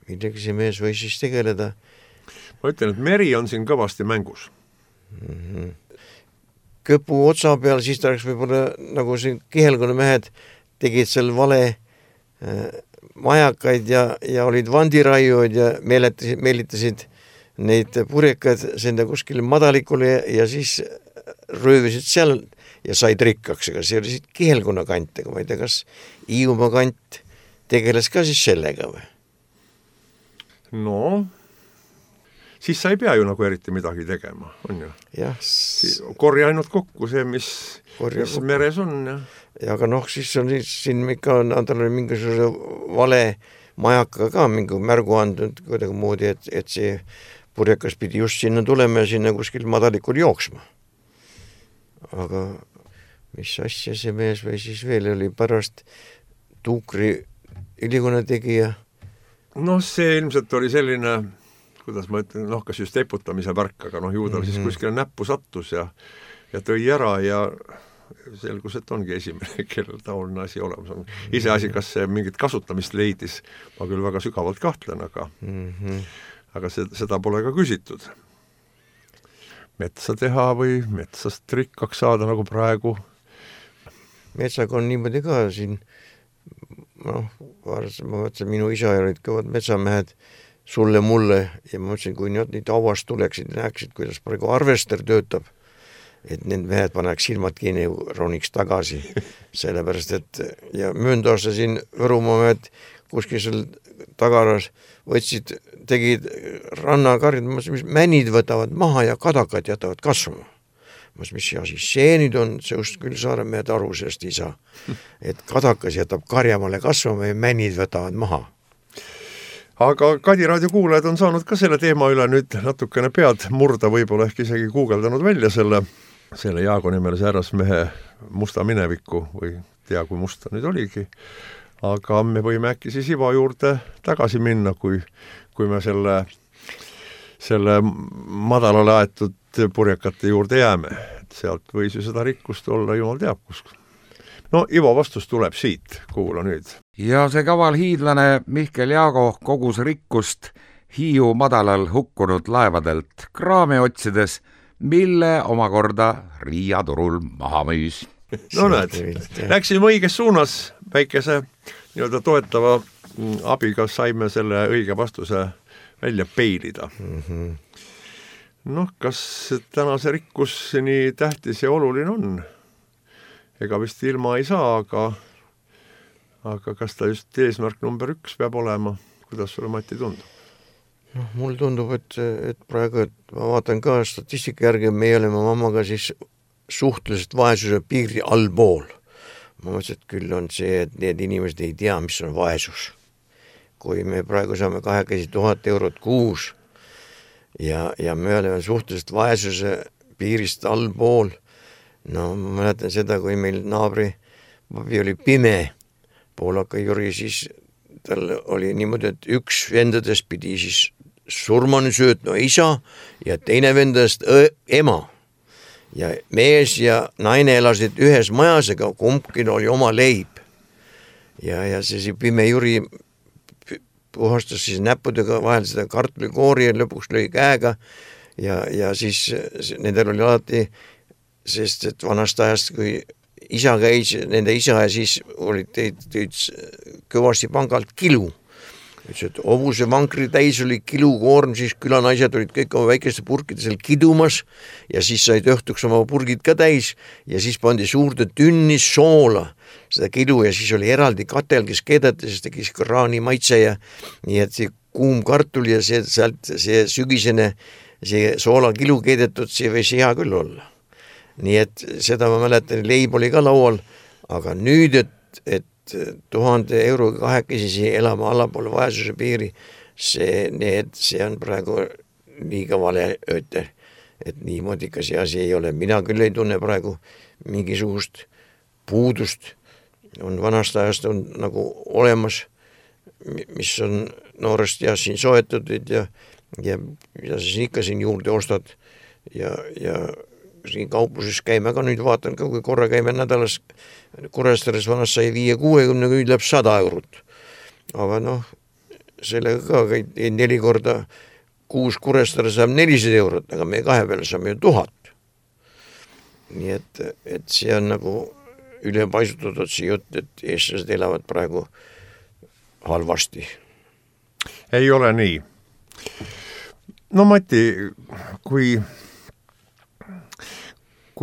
midagi see mees võis siis tegeleda. Ma ütlen, et meri on siin kõvasti mängus. Kõpu otsa peal, siis ta oleks võib-olla nagu siin Kihelkonna mehed tegid seal vale majakaid ja olid vandiraiuid ja meelitasid neid purjekaid senda kuskile madalikule ja siis röövisid seal ja said rikkaks, aga see oli siit Kihelkonna kant, aga ma ei tea, kas Hiiumaa kant tegeles ka siis sellega või? No, siis sa ei pea ju nagu eriti midagi tegema, on ju? Jah. Korja ainult kokku see, mis meres on. Ja aga noh, siis on siin ikka tal oli mingisuguse vale majaka ka mingi märgu andnud kuidagi moodi, et see purjekas pidi just sinna tulema ja sinna kuskil madalikul jooksma. Aga mis asja see mees või siis veel oli pärast tuukri ülikonna tegija? Noh, see ilmselt oli selline, kuidas ma ütlen, kas just eputamise värk, aga ju tal siis kuskile näppu sattus ja tõi ära ja selgus, et ongi esimene, kellel taoline asi olemas on. Iseasi, kas see mingit kasutamist leidis, ma küll väga sügavalt kahtlen, aga seda pole ka küsitud. Metsa teha või metsast rikkaks saada nagu praegu? Metsaga on niimoodi ka siin, ma mõtlesin, minu isa olid kõvad metsamehed sulle mulle ja ma mõtlesin, kui nüüd auast tuleksid ja näeksid, kuidas praegu arvester töötab, et need mehed paneks silmad kinni, roniks tagasi, sellepärast, et ja mööndaasta siin Võrumaa mehed kuskil seal tagaras võtsid, tegid rannakarjad, mis männid võtavad maha ja kadakad jätavad kasvama. Mis asi see nüüd on, see just küll Saaremehed aru sellest ei saa, et kadakas jätab karjamale kasvama ja männid võtavad maha. Aga Kadi raadio kuulajad on saanud ka selle teema üle nüüd natukene pead murda, võib-olla ehk isegi guugeldanud välja selle Jaago nimelise härrasmehe musta mineviku või tea, kui musta nüüd oligi. Aga me võime äkki siis Ivo juurde tagasi minna, kui me selle madalale aetud purjekate juurde jääme. Sealt võis ju seda rikkust olla, jumal teab kus. No Ivo vastus tuleb siit, kuula nüüd. Ja see kaval hiidlane Mihkel Jaago kogus rikkust Hiiu madalal hukkunud laevadelt kraame otsides, mille omakorda Riia turul maha müüs. No näed, läksime õiges suunas, väikese nii-öelda toetava abiga saime selle õige vastuse välja peilida. Kas tänase rikkus nii tähtis ja oluline on? Ega vist ilma ei saa, aga kas ta just eesmärk number 1 peab olema? Kuidas sulle, Mati, tundub? Mul tundub, et praegu, et ma vaatan ka statistika järgi, me oleme mammaga siis suhteliselt vaesuse piiri allpool. Ma mõtlesin, et küll on see, et need inimesed ei tea, mis on vaesus. Kui me praegu saame 1000 eurot kuus ja me oleme suhteliselt vaesuse piirist allpool, ma mäletan seda, kui meil naabri papi oli pime, poolaka Jüri, siis tal oli niimoodi, et üks vendadest pidi siis surmani söötma isa ja teine vendadest ema. Ja mees ja naine elasid ühes majas, aga kumbki oli oma leib. Ja see pime Jüri puhastas siis näppudega vahel seda kartulikoori ja lõpuks lõi käega ja siis nendel oli alati, sest et vanast ajast, kui isa käis, nende isa ja siis olid teid kõvasti pangalt kilu. Et hobuse vankri täis oli kilukoorm, siis külanaised olid kõik oma väikeste purkide seal kidumas ja siis said õhtuks oma purgid ka täis ja siis pandi suurde tünnis soola seda kilu ja siis oli eraldi katel, kes keedati, sest tegi kraani maitse ja nii et see kuum kartul ja see sügisene see soola kilu keedetud, see võis hea küll olla. Nii et seda ma mäletan, leib oli ka laual, aga nüüd, et 1000 euroga kahekesi elama allapool vaesuse piiri, see on praegu liiga vale ööte, et niimoodi ka see asi ei ole. Mina küll ei tunne praegu mingisugust puudust, on vanast ajast on nagu olemas, mis on noorest ja siin soetatud ja siis ikka siin juurde ostad ja siin kaupluses käime ka nüüd vaatan ka, kui korra käime nädalas Kuressaares vanast sai 5-60, nüüd läheb 100 eurot. Aga sellega ka 4 korda 6 Kuressaares saab 400 eurot, aga me 2 peale saame ju 1000. Nii et see on nagu ülepaisutatud see jutt, et eestlased elavad praegu halvasti. Ei ole nii. No Mati, kui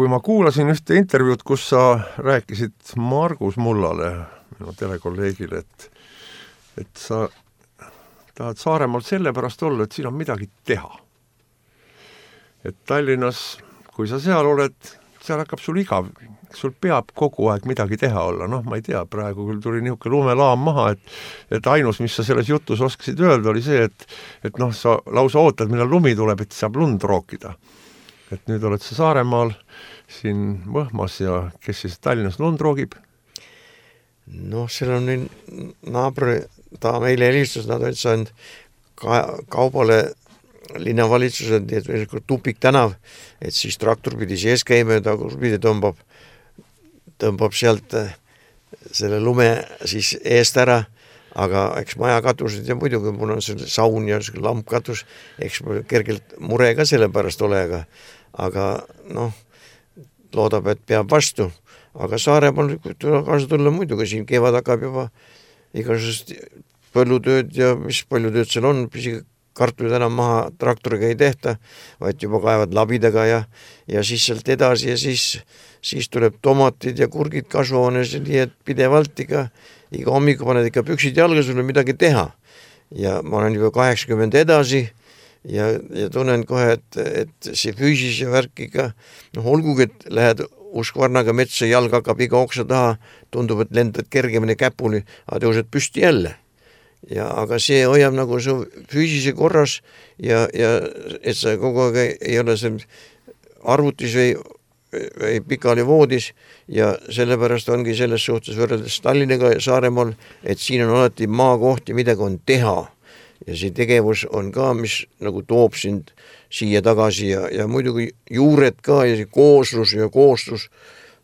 ma kuulasin ühte intervjuud, kus sa rääkisid Margus Mullale, minu telekolleegile, et sa tahad Saaremaalt sellepärast olla, et siin on midagi teha. Et Tallinnas, kui sa seal oled, seal hakkab sul igav, sul peab kogu aeg midagi teha olla, noh, ma ei tea, praegu küll tuli niisugune lumelaam maha, et ainus, mis sa selles jutus oskasid öelda, oli see, et noh, sa lausa ootad, millal lumi tuleb, et saab lund rookida. Et nüüd oled sa Saaremaal, siin Võhmas ja kes siis Tallinnas lund roogib? Noh, seal on naabri, ta meile helistus, nad olid saanud kaubale linnavalitsused, nii et tupik tänav, et siis traktor pidi sees käima ja ta pidi tõmbab sealt selle lume siis eest ära, aga eks maja katused ja muidugi mul on see saun ja lamp katus, eks kergelt mure ka selle pärast ole, aga noh, loodab, et peab vastu. Aga Saaremaal kaasa tulla muidugi, siin kevad hakkab juba igasugust põllutööd ja mis palju tööd seal on, kartulid enam maha traktoriga ei tehta, vaid juba kaevad labidaga ja siis sealt edasi ja siis tuleb tomatid ja kurgid kasvuhoones, nii et pidevalt iga hommiku paned ikka püksid jalga, sul on midagi teha. Ja ma olen juba 80 edasi ja tunnen kohe, et see füüsis ja värk ikka, noh, olgugi, et lähed uskvarnaga metsa, jalg hakkab iga oksa taha, tundub, et lendad kergemini käpuli, aga tõused püsti jälle. Ja aga see hoiab nagu su füüsise korras ja et sa kogu aeg ei ole seal arvutis või pikali voodis ja sellepärast ongi selles suhtes võrreldes Tallinnaga ja Saaremaal, et siin on alati maakohti, midagi on teha ja see tegevus on ka, mis nagu toob sind siia tagasi ja muidugi juured ka ja see kooslus ja koostus.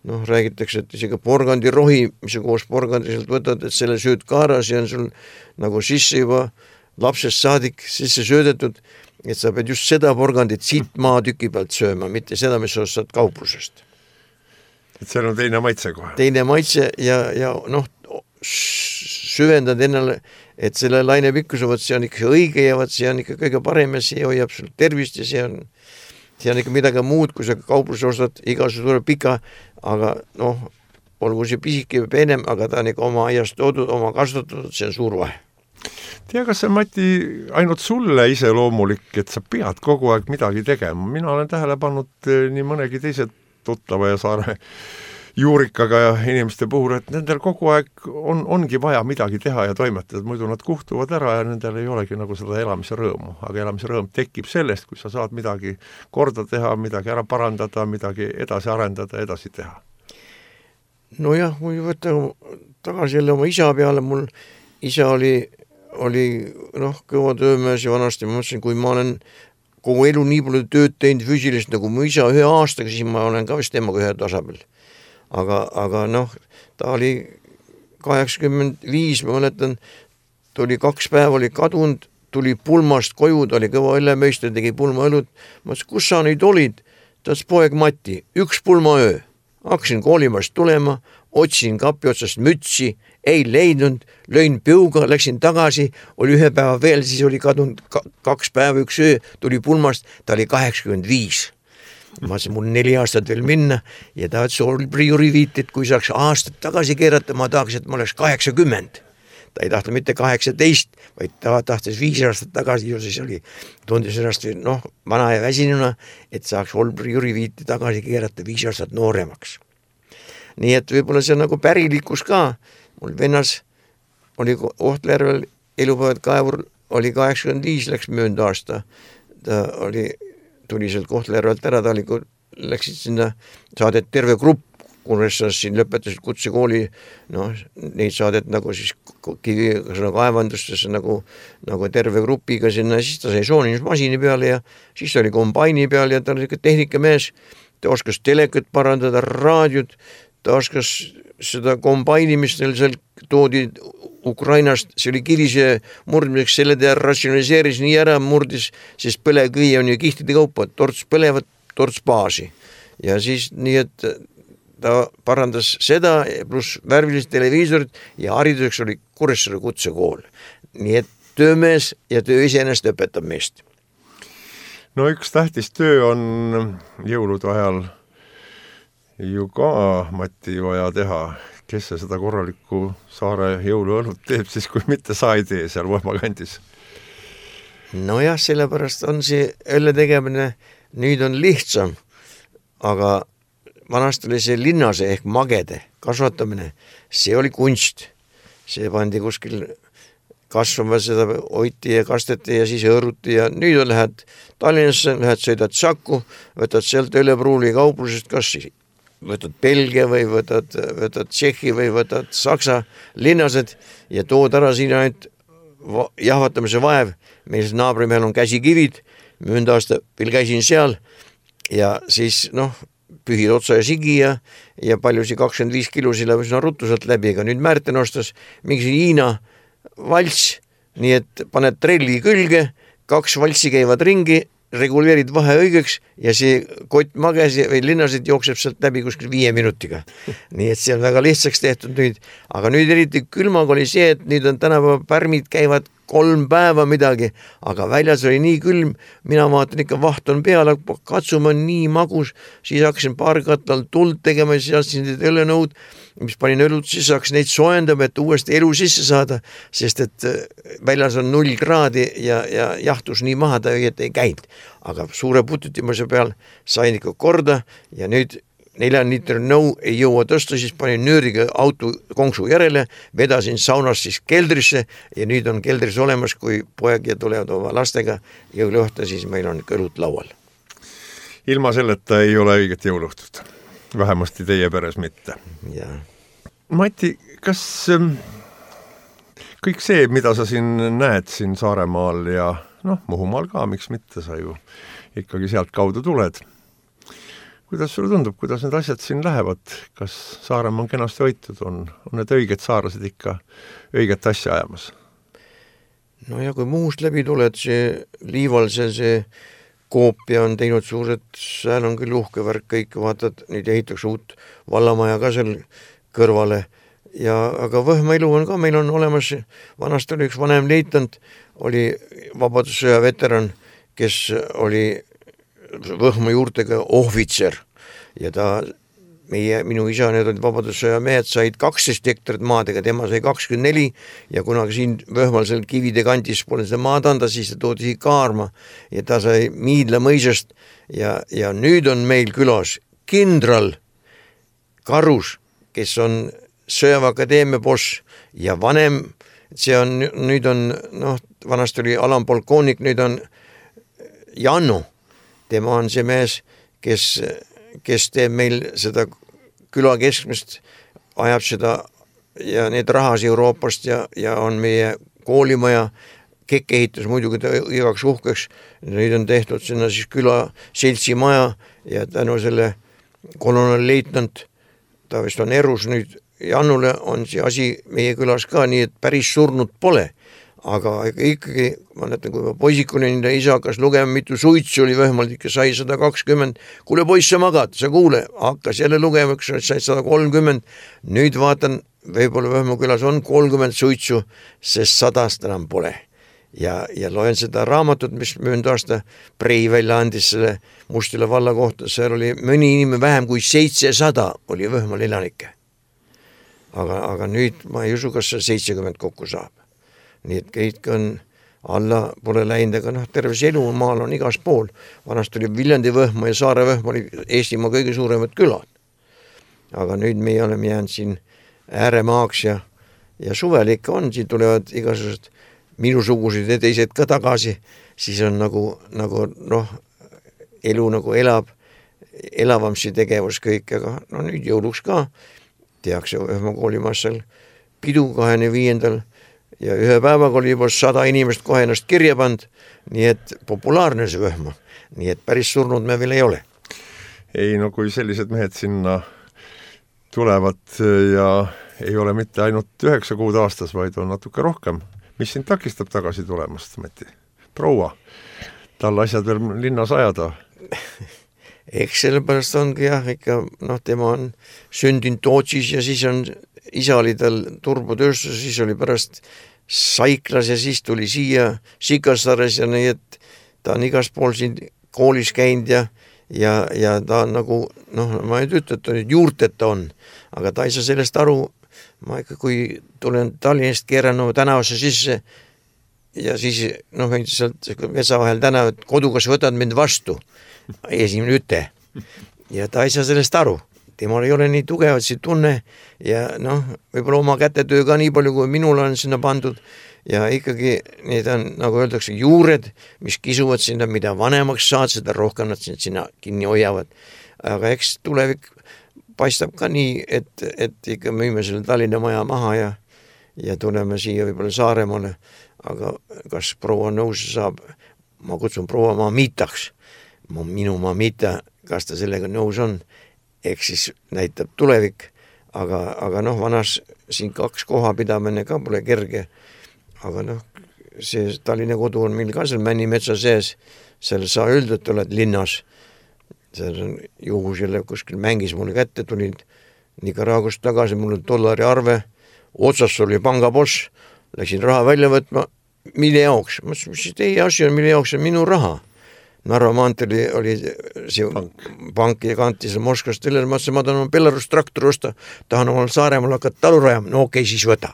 Noh, räägitakse, et isegi porgandirohi, mis sa koos porgandiselt võtad, et selle sööd kaaras ja on sul nagu sisse juba lapsest saadik sisse söödetud, et sa pead just seda porgandit siit maatüki pealt sööma, mitte seda, mis sa ostad kauplusest. Et seal on teine maitse kohe. Teine maitse ja noh, süvendad ennale, et selle laine pikkuse, võt see on ikka õige ja võt see on ikka kõige parem ja see hoiab sul tervist ja see on ikka midagi muud, kui sa kaupluse ostad, igasuguse tuleb pika, aga noh, olgu see pisike või peenem, aga ta on ikka oma aiast toodud, oma kasvatatud, see on suur vahe. Tea, kas see, Mati, ainult sulle iseloomulik, et sa pead kogu aeg midagi tegema? Mina olen tähele pannud nii mõnegi teised tuttava ja Saare juurikaga ja inimeste puhul, et nendel kogu aeg ongi vaja midagi teha ja toimetada, muidu nad kuhtuvad ära ja nendel ei olegi nagu seda elamise rõõmu. Aga elamise rõõm tekib sellest, kui sa saad midagi korda teha, midagi ära parandada, midagi edasi arendada, edasi teha. Nojah, kui võtta tagasi jälle oma isa peale, mul isa oli noh, kõva töömees ja vanasti ma mõtlesin, kui ma olen kogu elu nii palju tööd teinud füüsilist nagu mu isa 1 aastaga, siis ma olen ka vist temaga ühe tasapel. Aga noh, ta oli 85, ma mäletan, tuli 2 päeva, oli kadunud, tuli pulmast koju, ta oli kõva õllemeister, tegi pulmaõlut. Ma ütlesin, kus sa nüüd olid? Ta ütles, poeg Mati, 1 pulmaöö. Hakkasin koolimast tulema, otsin kapi otsast mütsi, ei leidnud, lõin piuga, läksin tagasi, oli 1 päeva veel, siis oli kadunud 2 päeva, 1 öö, tuli pulmast, ta oli 85. Ma ütlesin, mul 4 aastat veel minna ja ta ütles, oli prioriviit, et kui saaks aastat tagasi keerata, ma tahaks, et ma oleks 80. Ta ei tahtnud mitte 18, vaid ta tahtis 5 aastat tagasi ja siis oli tundis ennast vana ja väsinuna, et saaks prioriviiti tagasi keerata 5 aastat nooremaks. Nii et võib-olla see on nagu pärilikkus ka. Mul vennas oli Ohtjärvel elupäevad kaevur, oli 85, läks möönd aasta. Ta tuli sealt Kohtla-Järvelt ära, läksid sinna, saadet terve grupp, kunes sa siin lõpetasid kutsekooli, neid saadet nagu siis kaevandustesse nagu terve grupiga sinna, siis ta sai soonimismasini peale ja siis ta oli kombaini peal ja ta oli tehnikamees, ta oskas telekat parandada, raadiot, ta oskas seda kombaini, mis neil seal toodi Ukrainast, see oli kirise murdmiseks, selle ta ratsionaliseeris nii ära, murdis, sest põlevkivi on ju kihtide kaupa, torts põlevad, torts baasi. Ja siis nii, et ta parandas seda, pluss värvilised televiisorid ja hariduseks oli Kuressaare kutsekool. Nii et töömees ja töö iseenesest õpetab meest. No üks tähtis töö on jõulude ajal ju ka, Mati, vaja teha. Kes see seda korralikku Saare jõuluõlut teeb, siis kui mitte sa ei tee seal Võhma kandis? Nojah, sellepärast on see õlle tegemine nüüd on lihtsam, aga vanasti oli see linnase ehk magede kasvatamine, see oli kunst. See pandi kuskil kasvama, seda hoiti ja kasteti ja siis õõruti ja nüüd lähed Tallinnasse, lähed sõidad Saku, võtad sealt Ölepruuli kauplusest, kas võtad Belgia või võtad Tšehhi või võtad Saksa linnased ja tood ära siin ainult jahvatamise vaev. Meil naabrimehel on käsikivid, mööda aasta veel käisin seal ja siis pühid otsa ja sigi ja paljusi 25 kilosi läbi sinna ruttu sealt läbi, aga nüüd Märten ostas mingi Hiina valts, nii et paned trelli külge, 2 valtsi käivad ringi, reguleerid vahe õigeks ja see kott magesi või linnasid jookseb sealt läbi kuskil 5 minutiga. Nii et see on väga lihtsaks tehtud nüüd, aga nüüd eriti külmaga oli see, et nüüd on tänapäeva pärmid käivad 3 päeva midagi, aga väljas oli nii külm, mina vaatan ikka vaht on peal, katsume on nii magus, siis hakkasin paarkatlal tuld tegema, siis astsin need õlenõud, mis panin õlut, siis hakkasin neid soojendama, et uuesti elu sisse saada, sest et väljas on 0 kraadi ja jahtus nii maha, ta ei käinud. Aga suure pututimise peal sain ikka korda ja nüüd 4 liitri nõu ei jõua tõsta, siis panin nööriga auto konksu järele, vedasin saunas siis keldrisse ja nüüd on keldris olemas, kui poeg ja tulevad oma lastega jõuluõhta, siis meil on kõlut laual. Ilma selleta ei ole õiget jõuluõhtut, vähemasti teie peres mitte. Ja. Mati, kas kõik see, mida sa siin näed siin Saaremaal ja Muhumaal ka, miks mitte, sa ju ikkagi sealt kaudu tuled. Kuidas sulle tundub, kuidas need asjad siin lähevad? Kas Saaremaa on kenasti hoitud? On need õiged saarlased ikka õiget asja ajamas? No ja kui Muhust läbi tuled, see Liivalse, see Koopia on teinud suured, seal on küll uhke värk kõik, vaatad, nüüd ehitaks uut vallamaja ka seal kõrvale. Aga Võhma elu on ka, meil on olemas, vanast oli üks vanem leitnant, oli Vabadussõja veteran, kes oli Võhma juurtega ohvitser ja minu isa, need olid Vabadussõja mehed, said 12 hektarit maadega, tema sai 24 ja kunagi siin Võhmal seal kivide kandis pole seda maad anda, siis ta toodi siia Kaarma ja ta sai Miidla mõisast ja nüüd on meil külas kindral Karus, kes on Sõjaväeakadeemia boss ja vanem, nüüd on, vanast oli alampolkoonik, nüüd on Jannu. Tema on see mees, kes teeb meil seda küla keskmist, ajab seda ja need rahas Euroopast ja on meie koolimaja, kekkehitus muidugi igaks uhkeks. Nüüd on tehtud sinna siis küla seltsi maja ja tänu selle kolonelleitnant, ta vist on erus nüüd, Jannule on see asi meie külas ka, nii et päris surnud pole. Aga ikkagi, ma näitan, kui ma poisikune isa hakkas lugema, mitu suitsu oli Võhmalt, ikka sai 120. Kuule poiss, sa magad, sa kuule, hakkas jälle lugema, sai 130. Nüüd vaatan, võib-olla Võhma külas on 30 suitsu, sest 100 enam pole. Ja loen seda raamatut, mis mööda aasta Prei välja andis selle Mustila valla kohta, seal oli mõni inimene vähem kui 700 oli Võhmal elanikke. Aga nüüd ma ei usu, kas see 70 kokku saab. Nii et kõik on alla pole läinud, aga terve see elu maal on igas pool. Vanast oli Viljandi Võhma ja Saare Võhma oli Eestimaa kõige suuremad külad. Aga nüüd me oleme jäänud siin ääremaaks ja suvel ikka on, siin tulevad igasugused minusugused ja teised ka tagasi, siis on nagu elu nagu elavam see tegevus kõik, aga nüüd jõuluks ka tehakse Võhma koolimaas seal pidu 25. ja ühe päevaga oli juba 100 inimest kohe ennast kirja pand, nii et populaarne see Võhma, nii et päris surnud me veel ei ole. Ei, kui sellised mehed sinna tulevad ja ei ole mitte ainult 9 kuud aastas, vaid on natuke rohkem. Mis sind takistab tagasi tulemast, Mati? Proua, tal asjad veel linnas ajada? Eks sellepärast ongi ikka, tema on sündinud Tootsis ja siis on isa oli tal turbotööstus, siis oli pärast Saiklas ja siis tuli siia Sikassares ja nii, et ta on igas pool siin koolis käinud ja ta on nagu, ma ei ütle, et ta nüüd juurteta on, aga ta ei saa sellest aru. Ma ikka, kui tulen Tallinnast keeran tänavasse sisse ja siis, sealt Vetsa vahel tänav, et kodu, kas võtad mind vastu, esimene üte. Ja ta ei saa sellest aru. temal ei ole nii tugevat see tunne ja noh, võib-olla oma kätetöö ka nii palju, kui minul on sinna pandud ja ikkagi need on, nagu öeldakse, juured, mis kisuvad sinna, mida vanemaks saad, seda rohkem nad sinna kinni hoiavad. Aga eks tulevik paistab ka nii, et ikka müüme selle Tallinna maja maha ja tuleme siia võib-olla Saaremaale, aga kas proua nõus saab, ma kutsun proua Mamitaks, minu Mamita, kas ta sellega nõus on, eks siis näitab tulevik, aga noh, vanas siin 2 kohapidamine ka pole kerge, aga noh, see Tallinna kodu on meil ka seal Männimetsa sees, seal sa öelda, et oled linnas, seal on juhus jälle kuskil mängis mulle kätte, tulin Nicaraguast tagasi, mul on $1 arve, otsas oli pangaboss, läksin raha välja võtma, mille jaoks? Ma ütlesin, mis teie asi on, mille jaoks on minu raha? Narva maanteel oli see pank ja kantis Moskvast tellele, ma ütlesin, ma tahan Belarus traktori osta, tahan omal Saaremaal hakata talu rajama, no okei, siis võta.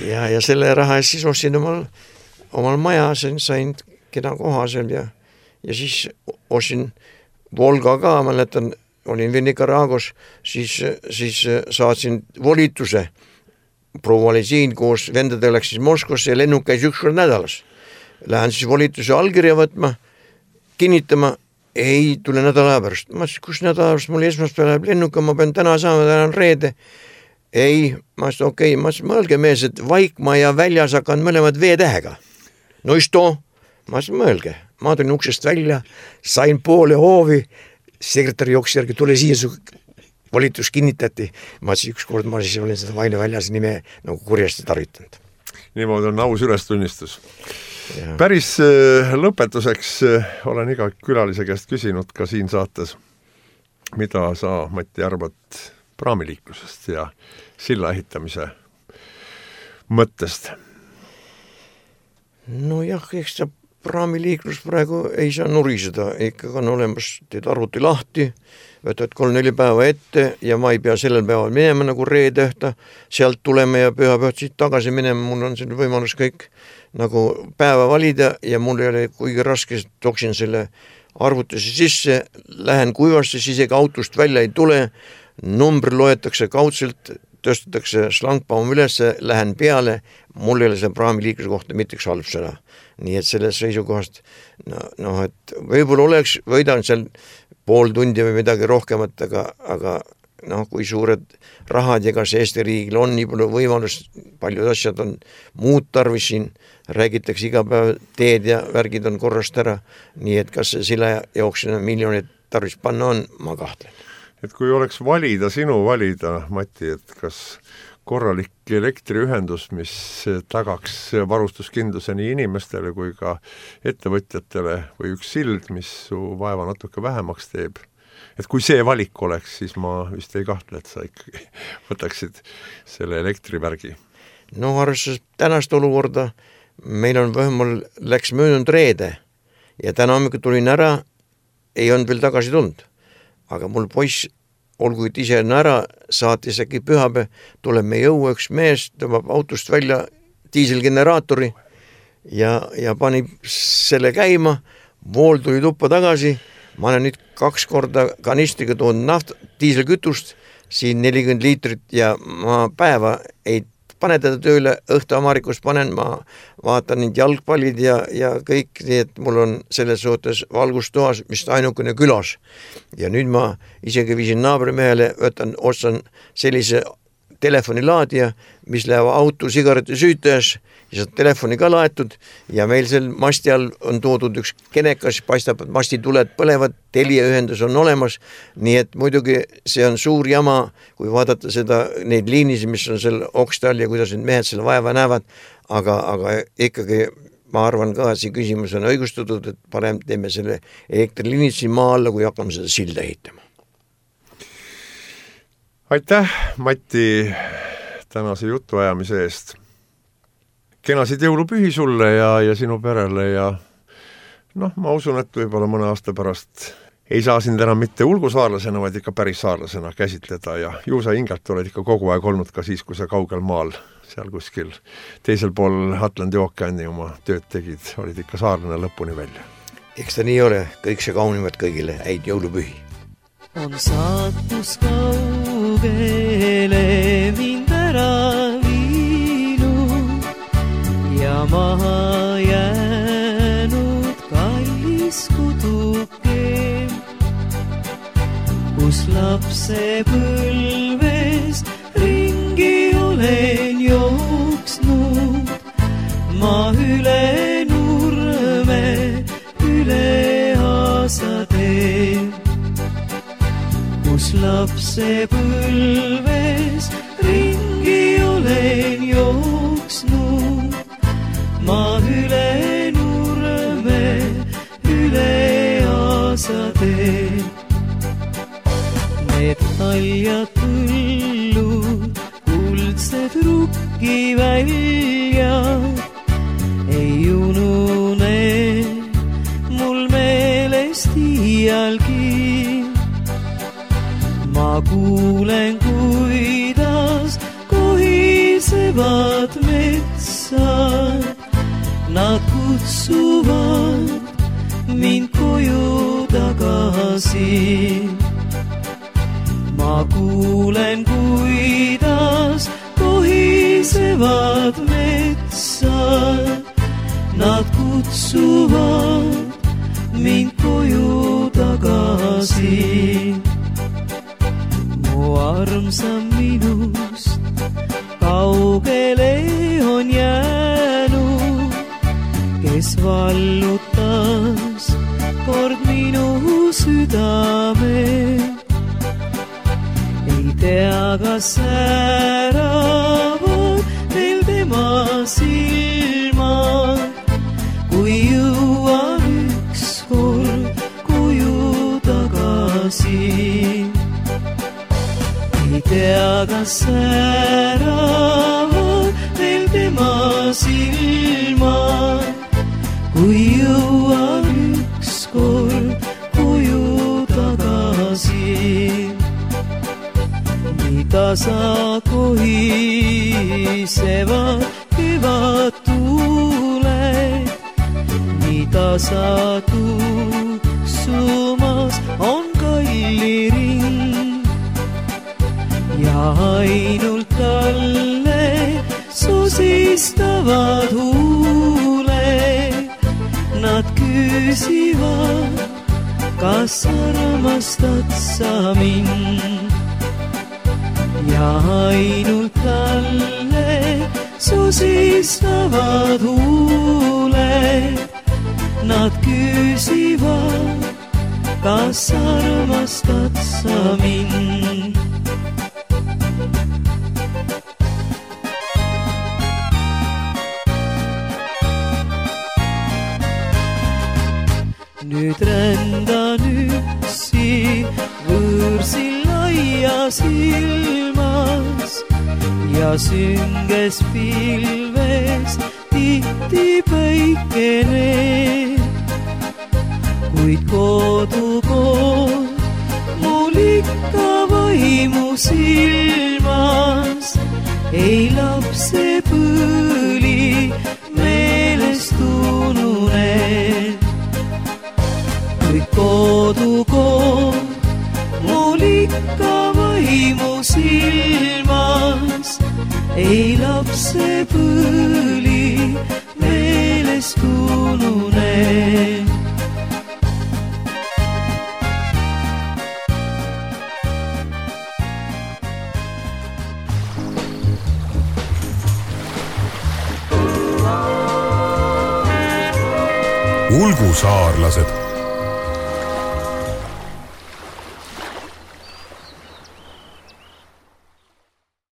ja selle raha eest siis ostsin omal maja, sain keda koha seal ja siis ostsin Volga ka, mäletan, olin veel Nicaragos, siis saatsin volituse. Proua oli siin koos, vendade läks siis Moskvasse ja lennuk käis 1 kord nädalas. Lähen siis volituse allkirja võtma, kinnitama, ei tule nädala pärast. Ma ütlesin, kus nädala pärast, mul esmaspäev läheb lennuka, ma pean täna saama, täna on reede. Ei, ma ütlesin, okei, ma ütlesin, mõelge mees, et Vaikmaa ja väljas hakan mõlemad V-tähega. No just too, ma ütlesin, mõelge. Ma tulin uksest välja, sain poole hoovi, sekretari jooksis järgi, tule siia, su volitus kinnitati. Ma ütlesin, 1 kord ma siis olin seda Vaino väljas nime nagu kurjasti tarvitanud. Niimoodi on aus ülestunnistus. Ja. Päris lõpetuseks olen iga külalise käest küsinud ka siin saates, mida sa, Mati, arvad praamiliiklusest ja silla ehitamise mõttest? No jah, eks ta praamiliiklus praegu ei saa nuriseda, ikka on olemas, teed arvuti lahti, võtad 3-4 päeva ette ja ma ei pea sellel päeval minema nagu reedehta, sealt tuleme ja pühapäevad siit tagasi minema, mul on selle võimalus kõik nagu päeva valida ja mul ei ole kuigi raske, toksin selle arvutuse sisse, lähen kuivasse, siis isegi autost välja ei tule, number loetakse kaudselt, tõstetakse slangbaum üles, lähen peale, mul ei ole see praamiliikluse kohta mitte üks halb sõna. Nii et selles seisukohast, et võib-olla võidan seal pool tundi või midagi rohkemat, aga kui suured rahad ja kas Eesti riigil on nii palju võimalus, paljud asjad on muud tarvis siin, räägitakse iga päev teed ja värgid on korrast ära, nii et kas see silla jooksina miljonid tarvis panna on, ma kahtlen. Et kui oleks sinu valida, Mati, et kas korralik elektriühendus, mis tagaks varustuskindluse nii inimestele kui ka ettevõtjatele või üks sild, mis su vaeva natuke vähemaks teeb, et kui see valik oleks, siis ma vist ei kahtle, et sa ikkagi võtaksid selle elektrivärgi. No arvestades tänast olukorda, meil on vähemal läks möödunud reede ja täna hommikul tulin ära, ei olnud veel tagasi tulnud. Aga mul poiss, olgu et ise on ära, saatis äkki pühapäev, tuleb me jõua üks mees, tõmbab autost välja diiselgeneraatori ja pani selle käima, vool tuli tuppa tagasi, ma olen nüüd 2 korda kanistriga toonud diiselkütust, siin 40 liitrit ja ma päeva ei pane teda tööle, õhtu Amarikust panen, ma vaatan neid jalgpallid ja kõik, nii et mul on selles suhtes valgustoas, mis ainukene külas. Ja nüüd ma isegi viisin naabrimehele, ostan sellise telefonilaadija, mis läheb auto sigareti süütajas ja saad telefoni ka laetud ja meil seal masti all on toodud üks kenekas, paistab, et mastituled põlevad, teljeühendus on olemas, nii et muidugi see on suur jama, kui vaadata neid liinisi, mis on seal oksta all ja kuidas need mehed selle vaeva näevad, aga ikkagi ma arvan ka, see küsimus on õigustatud, et parem teeme selle elektriliinid siin maa alla, kui hakkame seda silda ehitama. Aitäh, Mati, tänase jutuajamise eest. Kenasid jõulupühi sulle ja sinu perele ja ma usun, et võib-olla mõne aasta pärast ei saa sind enam mitte ulgusaarlasena, vaid ikka päris saarlasena käsitleda ja ju sa hingelt oled ikka kogu aeg olnud ka siis, kui sa kaugel maal, seal kuskil teisel pool Atlandi ookeani oma tööd tegid, olid ikka saarlane lõpuni välja. Eks ta nii ole, kõik see kaunivad kõigile, häid jõulupühi. on saatus kaugele mind ära viinud ja maha jäänud kallis kuduke, kus lapsepõlves ringi olen jooksnud, ma üle nurme, üle aasatee, kus lapsepõlves ringi olen jooksnud, ma üle nurme, üle aasatee. Need haljad põllud, kuldsed rukkiväljad ei unune mul meelest iialgi. Ma kuulen, kuidas kohisevad metsad, nad kutsuvad mind koju tagasi. Ma kuulen, kuidas kohisevad metsad, nad kutsuvad mind koju tagasi. Mu armsam minust kaugele on jäänud, kes vallutas kord minu südame. Ei tea, kas säravad veel tema silmad, kui jõuan ükskord koju tagasi. Ei tea, kas säravad veel tema silmad, kui jõuan ükskord koju tagasi. Mida sa kohisevad kevattuled, mida sa tuksumas on kalliring, ja ainult talle susistavad huuled. Nad küsivad, kas armastad sa mind, ja ainult talle susistavad huuled. Nad küsivad, kas armastad sa mind. Nüüd rändan üksi võõrsil laias ilmas ja sünges pilves tihti päikene, kuid kodukool mul ikka vaimu silmas. Ei lapsepõli meelest ununen, kuid kodukool mul ikka vaimu silmas. Ei lapsepõli meelest ununen. Ulgusaarlased